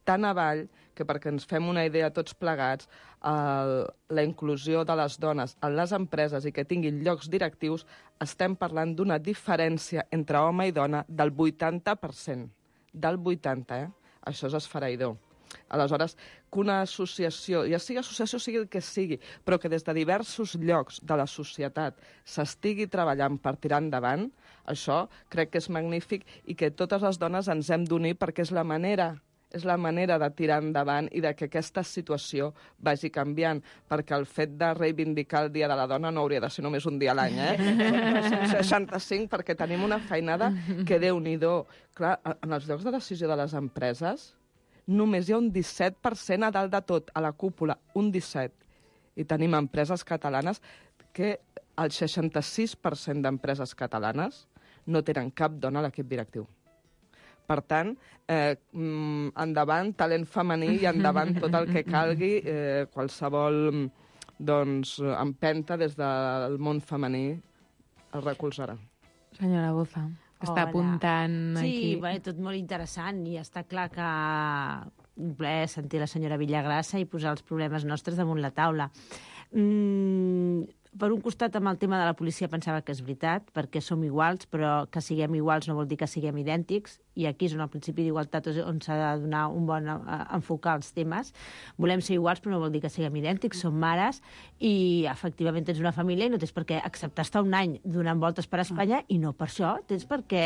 tan avall que, perquè ens fem una idea tots plegats, la inclusió de les dones en les empreses i que tinguin llocs directius, estem parlant d'una diferència entre home i dona del 80%. Del 80%, Això és esfereïdor. Aleshores, que una associació, ja sigui associació, sigui el que sigui, però que des de diversos llocs de la societat s'estigui treballant per tirar endavant, això crec que és magnífic i que totes les dones ens hem d'unir perquè és la manera de tirar endavant i de que aquesta situació vagi canviant, perquè el fet de reivindicar el Dia de la Dona no hauria de ser només un dia a l'any, 65, perquè tenim una feinada que Déu-n'hi-do. Clar, en els llocs de decisió de les empreses només hi ha un 17% a dalt de tot, a la cúpula, un 17%. I tenim empreses catalanes que el 66% d'empreses catalanes no tenen cap dona a l'equip directiu. Per tant, endavant talent femení i endavant tot el que calgui, qualsevol empenta des del món femení el recolzarà. Senyora Boza, que està apuntant aquí. Sí, tot molt interessant i està clar que un plaer sentir la senyora Villagrassa i posar els problemes nostres damunt la taula. Per un costat, amb el tema de la policia pensava que és veritat, perquè som iguals, però que siguem iguals no vol dir que siguem idèntics, i aquí és on el principi d'igualtat és on s'ha de donar un bon enfocar els temes. Volem ser iguals, però no vol dir que siguem idèntics, som mares, i efectivament tens una família i no tens per què acceptar estar un any donant voltes per Espanya, i no per això tens per què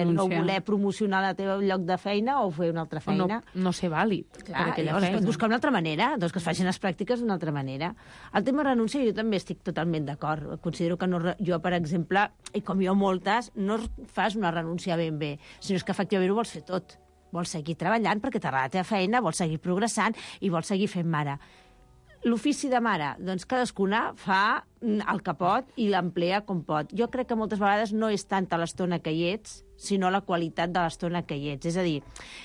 no voler promocionar el teu lloc de feina o fer una altra feina. No ser vàlid. Clar, llavors es pot buscar una altra manera, doncs que es facin les pràctiques d'una altra manera. El tema renúncia jo també estic totalment d'acord. Considero que jo, per exemple, i com jo moltes, no fas una renúncia ben bé, sinó que efectivament ho vols fer tot. Vols seguir treballant perquè t'agrada la teva feina, vols seguir progressant i vols seguir fent mare. L'ofici de mare, doncs cadascuna fa el que pot i l'emplea com pot. Jo crec que moltes vegades no és tanta l'estona que hi ets, sinó la qualitat de l'estona que hi ets. És a dir,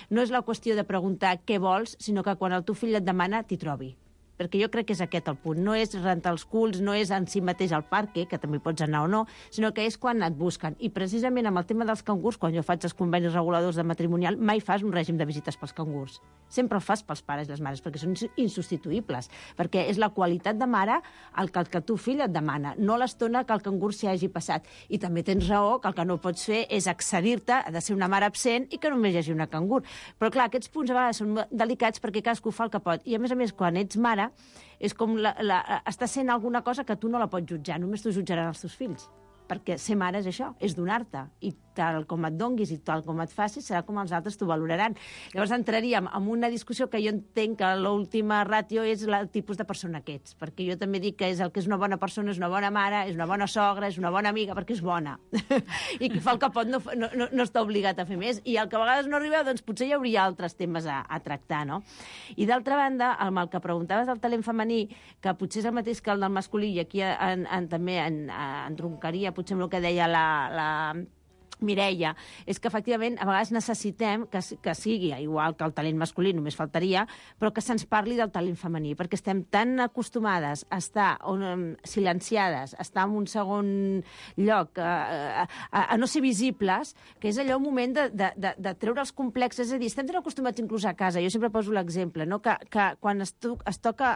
no és la qüestió de preguntar què vols, sinó que quan el teu fill et demana, t'hi trobi. Perquè jo crec que és aquest el punt. No és rentar els culs, no és en si mateix al parc, que també pots anar o no, sinó que és quan et busquen. I precisament amb el tema dels cangurs, quan jo faig els convenis reguladors de matrimonial, mai fas un règim de visites pels cangurs. Sempre el fas pels pares i les mares, perquè són insubstituïbles. Perquè és la qualitat de mare el que el teu fill et demana, no l'estona que el cangur s'hi hagi passat. I també tens raó que el que no pots fer és accedir-te, ha de ser una mare absent i que només hi hagi una cangur. Però clar, aquests punts a vegades són delicats perquè cadascú fa el que pot. I a més, quan ets mare, és com està sent alguna cosa que tu no la pots jutjar, només t'ho jutjaran els teus fills. Perquè ser mare és això, és donar-te. I tal com et donguis i tal com et facis, serà com els altres t'ho valoraran. Llavors entraríem en una discussió que jo entenc que l'última ràtio és el tipus de persona que ets. Perquè jo també dic que el que és una bona persona és una bona mare, és una bona sogra, és una bona amiga, perquè és bona. I qui fa el que pot no està obligat a fer més. I el que a vegades no arriba, doncs potser hi hauria altres temes a tractar, no? I d'altra banda, amb el que preguntaves del talent femení, que potser és el mateix que el del masculí, i aquí també entroncaria potser amb el que deia la Mireia, és que efectivament a vegades necessitem que sigui igual que el talent masculí, només faltaria, però que se'ns parli del talent femení, perquè estem tan acostumades a estar silenciades, a estar en un segon lloc, a no ser visibles, que és allò un moment de treure els complexes. És a dir, estem tan acostumats inclús a casa. Jo sempre poso l'exemple, no? que quan es toca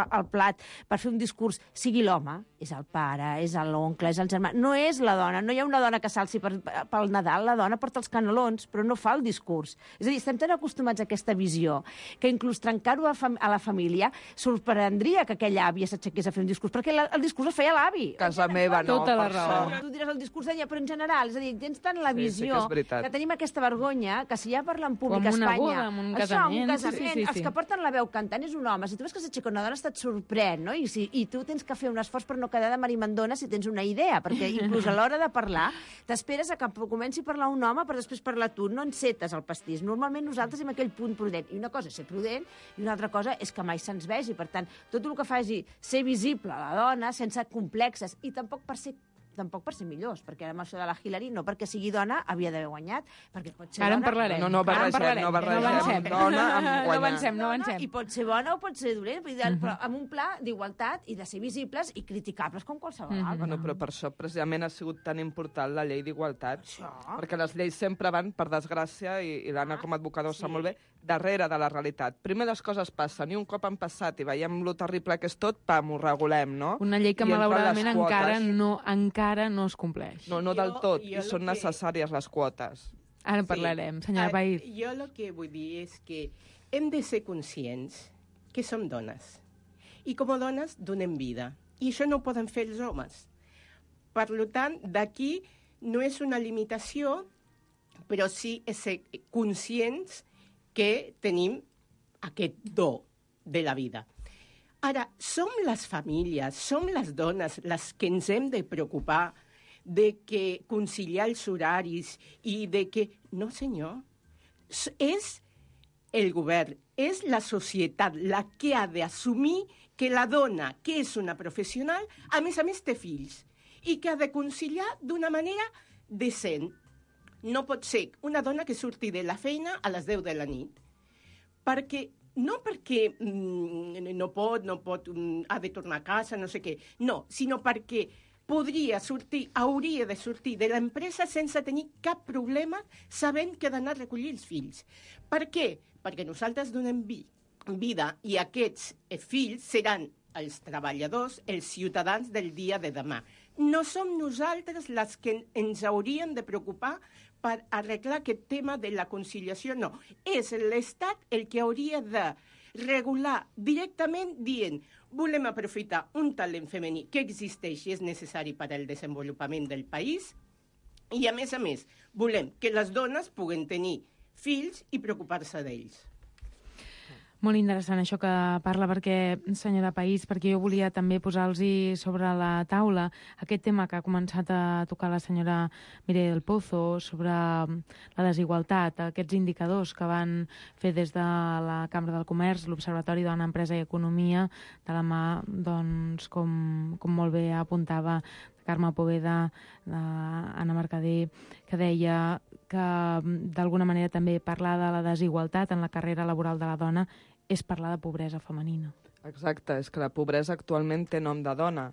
el plat per fer un discurs, sigui l'home, és el pare, és l'oncle, és el germà, no és la dona, no hi ha una dona que s'alci pel Nadal, la dona porta els canelons, però no fa el discurs. És a dir, estem tan acostumats a aquesta visió que inclús trencar-ho a la família sorprendria que aquella àvia s'aixequés a fer un discurs, perquè el discurs el feia l'avi. Casa meva no. Tota la raó. Tu diràs el discurs d'ella, però en general, és a dir, tens tant la visió que tenim aquesta vergonya que si ja parla en públic a Espanya... Com una boda, amb un casament. Els que porten la veu cantant és un home. Si tu veus que s'aixeca una dona, et sorprèn, no? I tu tens que fer un esforç per no quedar de marimandona si tens una idea, perquè inclús a l'hora de parlar t'esperes a que comenci a parlar un home per després parlar tu, no encetes el pastís. Normalment nosaltres hem aquell punt prudent. I una cosa és ser prudent i una altra cosa és que mai se'ns vegi. Per tant, tot el que faci ser visible a la dona sense complexes i tampoc per ser tampoc per ser millors, perquè ara amb això de la Hillary, no perquè sigui dona, havia d'haver guanyat, perquè pot ser Ara en dona... parlarem. No barregem. Dona amb guanyar. No avancem. I pot ser bona o pot ser dolent, però amb un pla d'igualtat i de ser visibles i criticables com qualsevol altre. Bueno, però per això precisament ha sigut tan important la llei d'igualtat, perquè les lleis sempre van, per desgràcia, i l'Anna com a advocador sap molt bé, darrere de la realitat. Primer les coses passen, i un cop han passat i veiem lo terrible que és tot, pam, ho regulem, no? Una llei que I malauradament encara no es compleix. No del tot, i són necessàries les quotes. Ara en parlarem, senyora País. Jo el que vull dir és que hem de ser conscients que som dones. I com a dones donem vida. I això no ho poden fer els homes. Per tant, d'aquí no és una limitació, però sí és ser conscients que tenim aquest do de la vida. Ara, som les famílies, som les dones les que ens hem de preocupar de que conciliar els horaris i de que... No, senyor. És el govern, és la societat la que ha d'assumir que la dona, que és una professional, a més té fills i que ha de conciliar d'una manera decent. No pot ser una dona que surti de la feina a les 10 de la nit, perquè no perquè no pot, ha de tornar a casa, no sé què, no, sinó perquè hauria de sortir de l'empresa sense tenir cap problema, sabent que ha d'anar a recollir els fills. Per què? Perquè nosaltres donem vida i aquests fills seran els treballadors, els ciutadans del dia de demà. No som nosaltres les que ens haurien de preocupar per arreglar aquest tema de la conciliació, no. És l'Estat el que hauria de regular directament dient volem aprofitar un talent femení que existeix i és necessari per al desenvolupament del país i, a més, volem que les dones puguen tenir fills i preocupar-se d'ells. Molt interessant això que parla, senyora País, perquè jo volia també posar-los sobre la taula aquest tema que ha començat a tocar la senyora Mireia del Pozo sobre la desigualtat, aquests indicadors que van fer des de la Cambra del Comerç, l'Observatori Dona, Empresa i Economia, de la mà, doncs, com molt bé apuntava Carme Poveda, Anna Mercader, que deia que d'alguna manera també parlar de la desigualtat en la carrera laboral de la dona és parlar de pobresa femenina. Exacte, és que la pobresa actualment té nom de dona.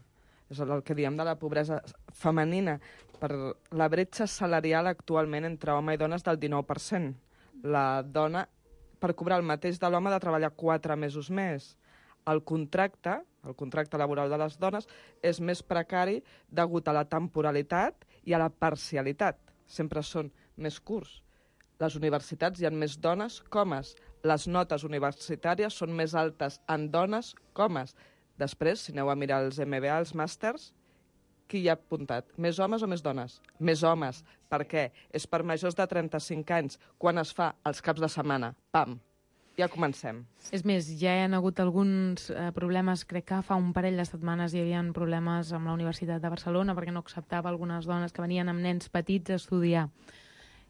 És el que diem de la pobresa femenina. Per la bretxa salarial actualment entre home i dona és del 19%. La dona, per cobrar el mateix de l'home, ha de treballar 4 mesos més. El contracte laboral de les dones és més precari degut a la temporalitat i a la parcialitat. Sempre són més curts. Les universitats hi ha més dones que homes. Les notes universitàries són més altes en dones que homes. Després, si aneu a mirar els MBA, els màsters, qui hi ha apuntat? Més homes o més dones? Més homes. Per què? És per majors de 35 anys, quan es fa els caps de setmana. Pam! Ja comencem. És més, ja hi ha hagut alguns problemes, crec que fa un parell de setmanes hi havia problemes amb la Universitat de Barcelona perquè no acceptava algunes dones que venien amb nens petits a estudiar.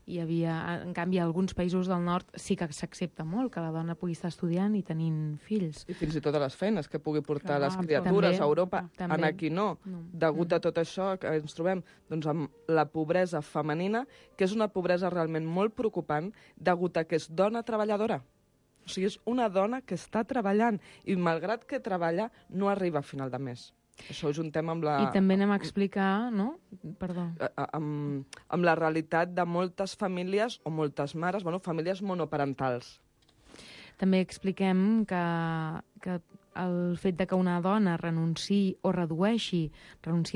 Hi havia, en canvi, a alguns països del nord sí que s'accepta molt que la dona pugui estar estudiant i tenint fills. I fins i tot a les feines que pugui portar les criatures a Europa. En aquí no. Degut a tot això que ens trobem doncs, amb la pobresa femenina, que és una pobresa realment molt preocupant degut a que és dona treballadora. O sigui, és una dona que està treballant i, malgrat que treballa, no arriba a final de mes. Això és un tema amb la... I també anem a explicar, no? Perdó. Amb la realitat de moltes famílies, o moltes mares, famílies monoparentals. També expliquem que el fet de que una dona renunciï o renunciï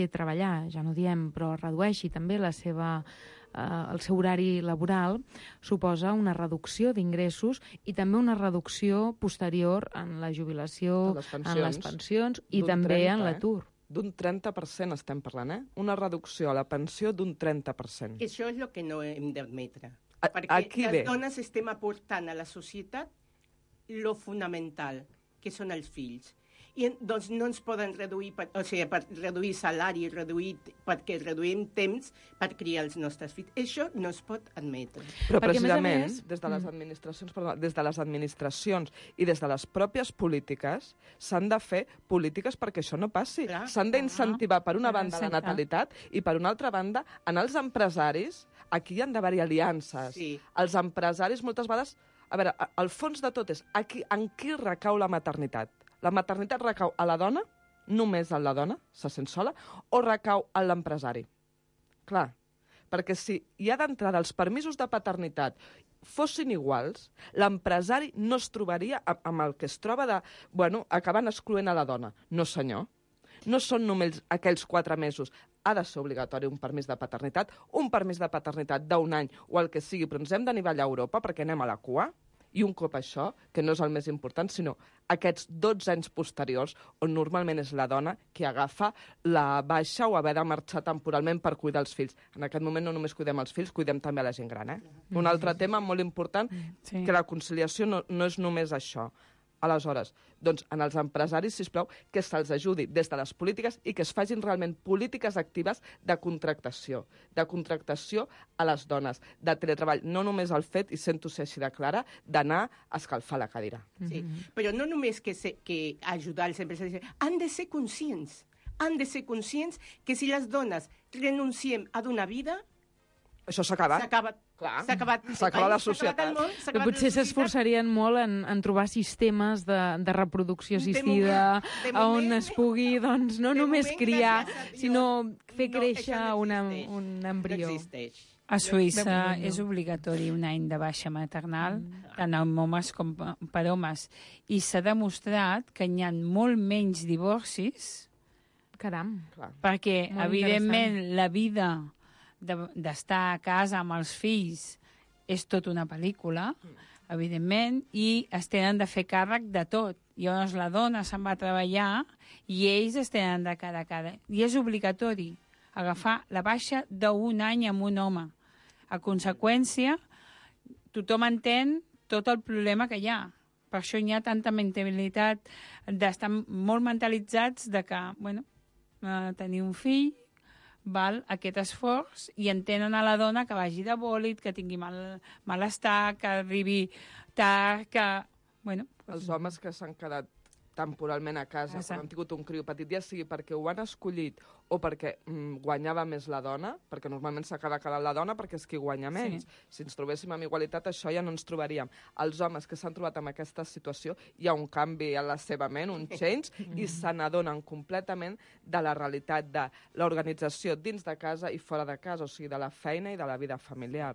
a treballar, ja no diem, però redueixi també el seu horari laboral, suposa una reducció d'ingressos i també una reducció posterior en la jubilació, en les pensions i també en l'atur. D'un 30% estem parlant, Una reducció a la pensió d'un 30%. Això és el que no hem d'admetre. Perquè les dones estem aportant a la societat lo fonamental, que són els fills. I doncs no ens poden reduir, per reduir salari, perquè reduïm temps per criar els nostres fills. Això no es pot admetre. Però precisament, des de les administracions i des de les pròpies polítiques s'han de fer polítiques perquè això no passi. S'han d'incentivar, per una banda, la natalitat i, per una altra banda, en els empresaris, aquí hi han d'haver-hi aliances. Els empresaris, moltes vegades... A veure, el fons de tot és en qui recau la maternitat. La maternitat recau a la dona, només a la dona, se sent sola, o recau a l'empresari? Clar, perquè si hi ha d'entrada els permisos de paternitat fossin iguals, l'empresari no es trobaria amb el que es troba de, acabant excloent a la dona. No, senyor. No són només aquells 4 mesos. Ha de ser obligatori un permís de paternitat d'1 any o el que sigui, però ens hem d'anivellar a Europa perquè anem a la cua. I un cop això, que no és el més important, sinó aquests 12 anys posteriors, on normalment és la dona qui agafa la baixa o haver de marxar temporalment per cuidar els fills. En aquest moment no només cuidem els fills, cuidem també a la gent gran. Un altre tema molt important, que la conciliació no és només això. Aleshores, doncs, en els empresaris, sisplau, que se'ls ajudi des de les polítiques i que es facin realment polítiques actives de contractació a les dones, de teletreball, no només el fet, i sento ser així de clara, d'anar a escalfar la cadira. Sí, però no només que ajudar els empresaris, han de ser conscients que si les dones renunciem a donar vida, això s'ha acabat. S'ha acabat la societat. Però potser s'esforçarien molt en trobar sistemes de reproducció assistida on es pugui, doncs, no només criar, sinó fer créixer un embrió. A Suïssa és obligatori un any de baixa maternal, tant amb homes com per homes. I s'ha demostrat que hi ha molt menys divorcis. Caram. Perquè, evidentment, la vida d'estar a casa amb els fills és tot una pel·lícula, evidentment, i es tenen de fer càrrec de tot. Llavors la dona se'n va a treballar i ells es tenen de cara a cara. I és obligatori agafar la baixa d'1 any amb un home. A conseqüència, tothom entén tot el problema que hi ha. Per això hi ha tanta mentalitat d'estar molt mentalitzats de que, tenir un fill val aquest esforç i entenen a la dona que vagi de bòlit, que tingui malestar, que arribi tard, que... Els homes que s'han quedat temporalment a casa, quan han tingut un criu petit, ja sigui perquè ho han escollit o perquè guanyava més la dona, perquè normalment s'acaba quedant la dona perquè és qui guanya menys. Si ens trobéssim amb igualitat, això ja no ens trobaríem. Els homes que s'han trobat en aquesta situació, hi ha un canvi a la seva ment, un change, i se n'adonen completament de la realitat de l'organització dins de casa i fora de casa, o sigui, de la feina i de la vida familiar.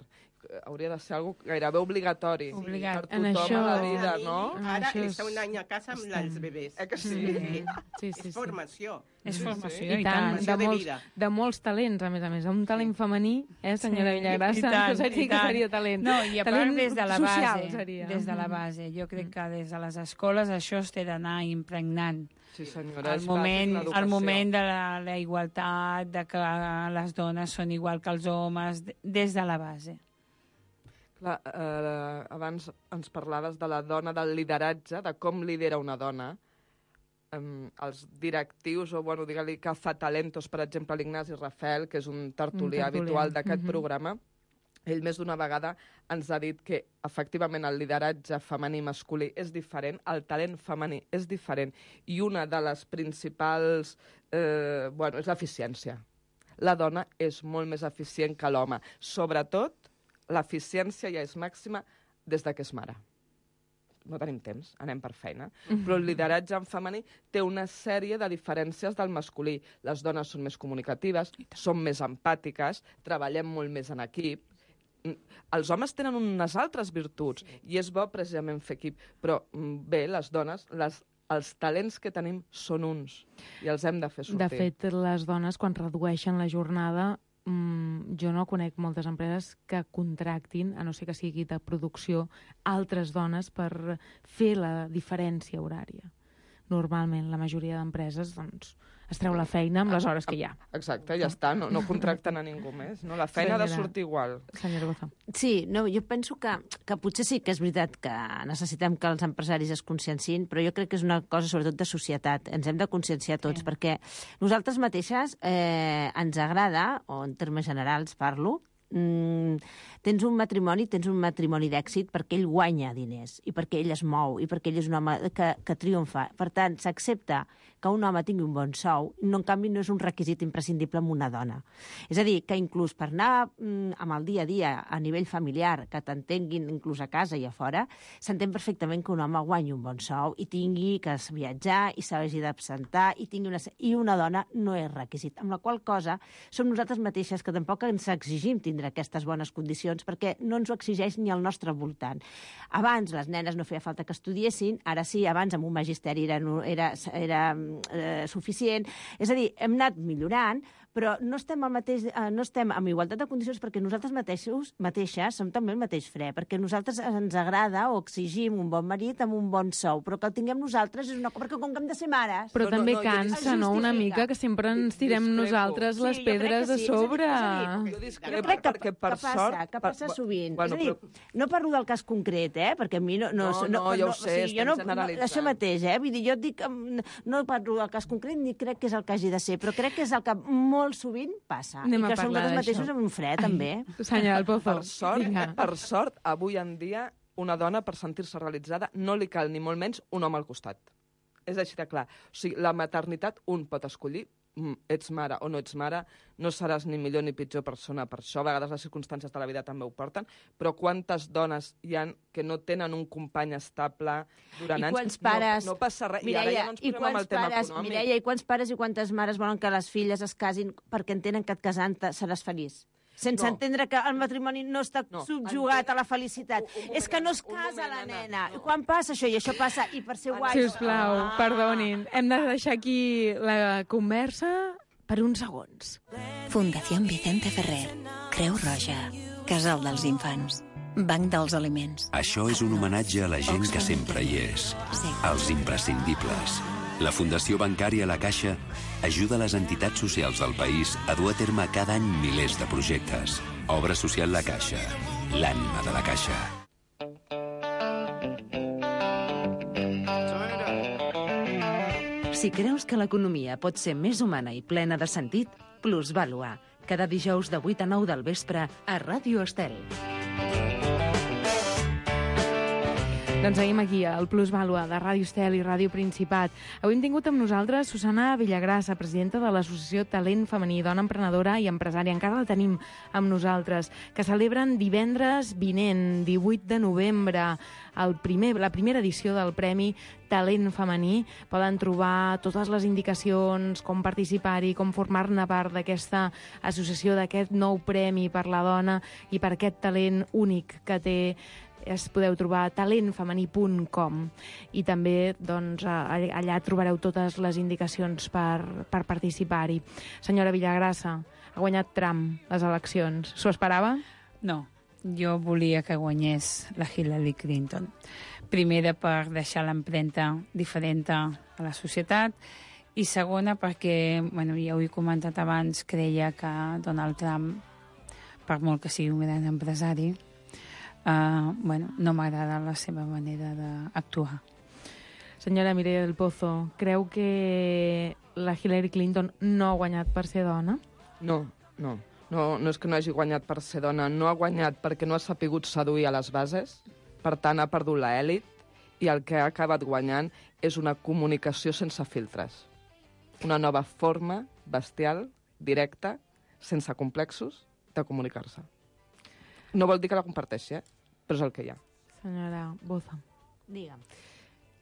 Hauria de ser algo gairebé obligatori per tothom a la vida, no? Ara està un any a casa amb els bebès. Que sí? És formació. És formació, i tant. De molts talents, a més. Un talent femení, senyora Villagrassa, no seria talent. No, i a part des de la base. Des de la base. Jo crec que des de les escoles això es té d'anar impregnant. Sí, senyora, el moment de la igualtat, de que les dones són igual que els homes, des de la base. Clar, abans ens parlaves de la dona, del lideratge, de com lidera una dona. Els directius, o digue-li cazatalentos, per exemple, l'Ignasi Rafel, que és un tertulià habitual d'aquest programa, ell més d'una vegada ens ha dit que efectivament el lideratge femení i masculí és diferent, el talent femení és diferent, i una de les principals és l'eficiència. La dona és molt més eficient que l'home. Sobretot, l'eficiència ja és màxima des que és mare. No tenim temps, anem per feina. Però el lideratge en femení té una sèrie de diferències del masculí. Les dones són més comunicatives, són més empàtiques, treballem molt més en equip. Els homes tenen unes altres virtuts i és bo precisament fer equip. Però bé, les dones, els talents que tenim són uns i els hem de fer sortir. De fet, les dones, quan redueixen la jornada, jo no conec moltes empreses que contractin, a no ser que sigui de producció, altres dones per fer la diferència horària. normalment la majoria d'empreses doncs, es treu la feina amb les hores que hi ha. Exacte, ja està, no contracten a ningú més. No? La feina ha de sortir igual. Senyora Boza. Sí, no, jo penso que potser sí que és veritat que necessitem que els empresaris es consciencin, però jo crec que és una cosa sobretot de societat. Ens hem de conscienciar tots, perquè nosaltres mateixes ens agrada, o en termes generals parlo, tens un matrimoni d'èxit perquè ell guanya diners i perquè ell es mou i perquè ell és un home que triomfa. Per tant, s'accepta que un home tingui un bon sou, no, en canvi no és un requisit imprescindible amb una dona. És a dir, que inclús per anar amb el dia a dia a nivell familiar, que t'entenguin inclús a casa i a fora, s'entén perfectament que un home guanyi un bon sou i tingui que viatjar i s'hagi d'absentar i una dona no és requisit. Amb la qual cosa som nosaltres mateixes que tampoc ens exigim tindre aquestes bones condicions perquè no ens ho exigeix ni al nostre voltant. Abans les nenes no feia falta que estudiessin, ara sí, abans amb un magisteri era suficient. És a dir, hem anat millorant, però no estem amb igualtat de condicions perquè nosaltres mateixes som també el mateix fre, perquè nosaltres ens agrada o exigim un bon marit amb un bon sou, però que el tinguem nosaltres és una cosa, perquè com que hem de ser mares... Però també cansa, no?, una mica, que sempre ens tirem nosaltres les pedres a sobre. Jo discrepo perquè per sort... Que passa sovint. És a dir, no parlo del cas concret, perquè a mi no... No, ja ho sé, estem generalitzant. Això mateix, vull dir, jo dic... No parlo del cas concret ni crec que és el que hagi de ser, però crec que és el que molt sovint passa. Anem i que som nosaltres mateixos amb un fre, també. Senyora del Pozo, per sort, avui en dia, una dona, per sentir-se realitzada, no li cal ni molt menys un home al costat. És així de clar. O sigui, la maternitat un pot escollir, ets mare o no ets mare, no seràs ni millor ni pitjor persona per això, a vegades les circumstàncies de la vida també ho porten, però quantes dones hi ha que no tenen un company estable durant anys? No passa res. Mireia, I ara ja no ens posem amb el tema econòmic. Mireia, i quants pares i quantes mares volen que les filles es casin perquè entenen que et casant-te seràs feliç? Sense entendre que el matrimoni no està subjugat a la felicitat. És que no es casa la nena. Quan passa això? I això passa, i per ser guai... Sisplau, perdonin. Hem de deixar aquí la conversa per uns segons. Fundació Vicente Ferrer, Creu Roja, Casal dels Infants, Banc dels Aliments. Això és un homenatge a la gent que sempre hi és. Els imprescindibles. La Fundació Bancària La Caixa ajuda les entitats socials del país a dur a terme cada any milers de projectes. Obra social La Caixa, l'ànima de la Caixa. Si creus que l'economia pot ser més humana i plena de sentit, Plusvàlua. Cada dijous de 8 a 9 del vespre a Ràdio Estel. Doncs seguim aquí, al Plusvàlua de Ràdio Estel i Ràdio Principat. Avui hem tingut amb nosaltres Susana Villagrassa, presidenta de l'Associació Talent Femení, dona emprenedora i empresària. Encara la tenim amb nosaltres, que celebren divendres vinent, 18 de novembre, la primera edició del Premi Talent Femení. Poden trobar totes les indicacions, com participar-hi, com formar-ne part d'aquesta associació, d'aquest nou premi per la dona i per aquest talent únic que té. Es podeu trobar a talentfemení.com i també doncs, allà trobareu totes les indicacions per participar-hi. Senyora Villagrassa, ha guanyat Trump les eleccions. S'ho esperava? No, jo volia que guanyés la Hillary Clinton. Primera, per deixar l'empremta diferent a la societat, i segona, perquè, ja ho he comentat abans, creia que Donald Trump, per molt que sigui un gran empresari, no m'agrada la seva manera d'actuar. Senyora Mireia del Pozo, creu que la Hillary Clinton no ha guanyat per ser dona? No és que no hagi guanyat per ser dona, no ha guanyat perquè no ha sapigut seduir a les bases, per tant ha perdut l'elit, i el que ha acabat guanyant és una comunicació sense filtres. Una nova forma bestial, directa, sense complexos, de comunicar-se. No vol dir que la comparteixi, però és el que hi ha. Senyora Boza. Digue'm.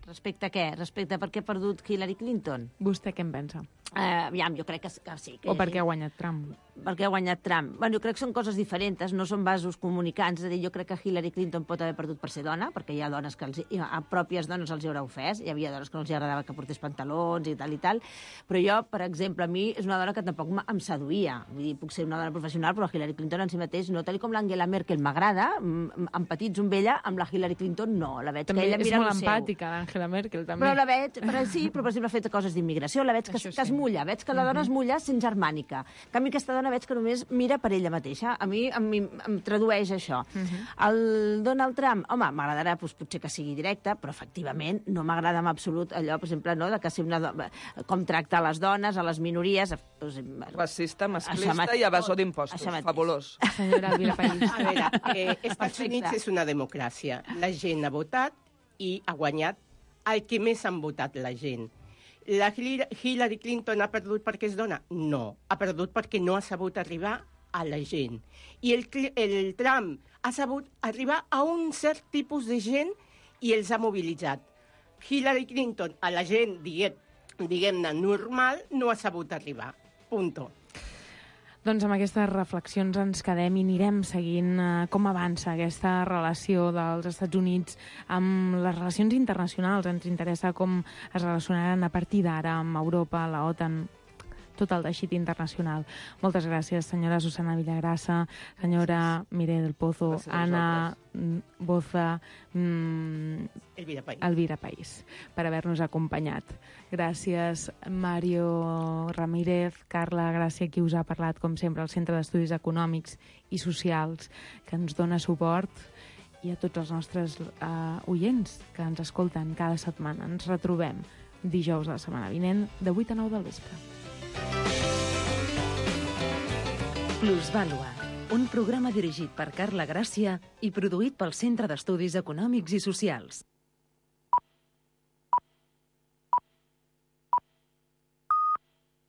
Respecte a què? Respecte a per què ha perdut Hillary Clinton? Vostè què en pensa? Aviam, jo crec que sí. O perquè ha guanyat Trump. Perquè ha guanyat Trump. Bueno, jo crec que són coses diferents, no són vasos comunicants. És a dir, jo crec que Hillary Clinton pot haver perdut per ser dona, perquè hi ha dones que a pròpies dones els hi haurà ofès, hi havia dones que no els agradava que portés pantalons i tal, però jo, per exemple, a mi és una dona que tampoc em seduïa. Vull dir, puc ser una dona professional, però la Hillary Clinton en si mateix no, tal com l'Angela Merkel m'agrada, amb petits amb ella, amb la Hillary Clinton no. La veig també que ella mira és molt el seu. empàtica, l'Angela Merkel, també. Però la veig, però per exemple ha fet coses d'immigració, la veig que es mulla, veig que la dona es mulla sent germànica. En canvi, aquesta dona veig que només mira per ella mateixa. A mi em tradueix això. El Donald Trump, home, m'agradarà potser que sigui directe, però efectivament no m'agrada en absolut allò, per exemple, no, de que ser com tractar les dones, a les minories... Racista, masclista i evasor d'impostos. Fabulós. Senyora Elvira País. A veure, Estats Units és una democràcia. La gent ha votat i ha guanyat el que més han votat la gent. La Hillary Clinton ha perdut perquè és dona? No, ha perdut perquè no ha sabut arribar a la gent. I el Trump ha sabut arribar a un cert tipus de gent i els ha mobilitzat. Hillary Clinton, a la gent, diguem-ne, normal, no ha sabut arribar. Punto. Doncs amb aquestes reflexions ens quedem i anirem seguint com avança aquesta relació dels Estats Units amb les relacions internacionals. Ens interessa com es relacionaran a partir d'ara amb Europa, la OTAN, tot el teixit internacional. Moltes gràcies, senyora Susana Villagrasa, senyora Mireia del Pozo, Anna Boza, Elvira País, per haver-nos acompanyat. Gràcies, Mario Ramírez, Carla Gràcia, qui us ha parlat, com sempre, al Centre d'Estudis Econòmics i Socials, que ens dona suport, i a tots els nostres oients que ens escolten cada setmana. Ens retrobem dijous de la setmana vinent, de 8 a 9 del vespre. Plusvàlua, un programa dirigit per Carla Gràcia i produït pel Centre d'Estudis Econòmics i Socials.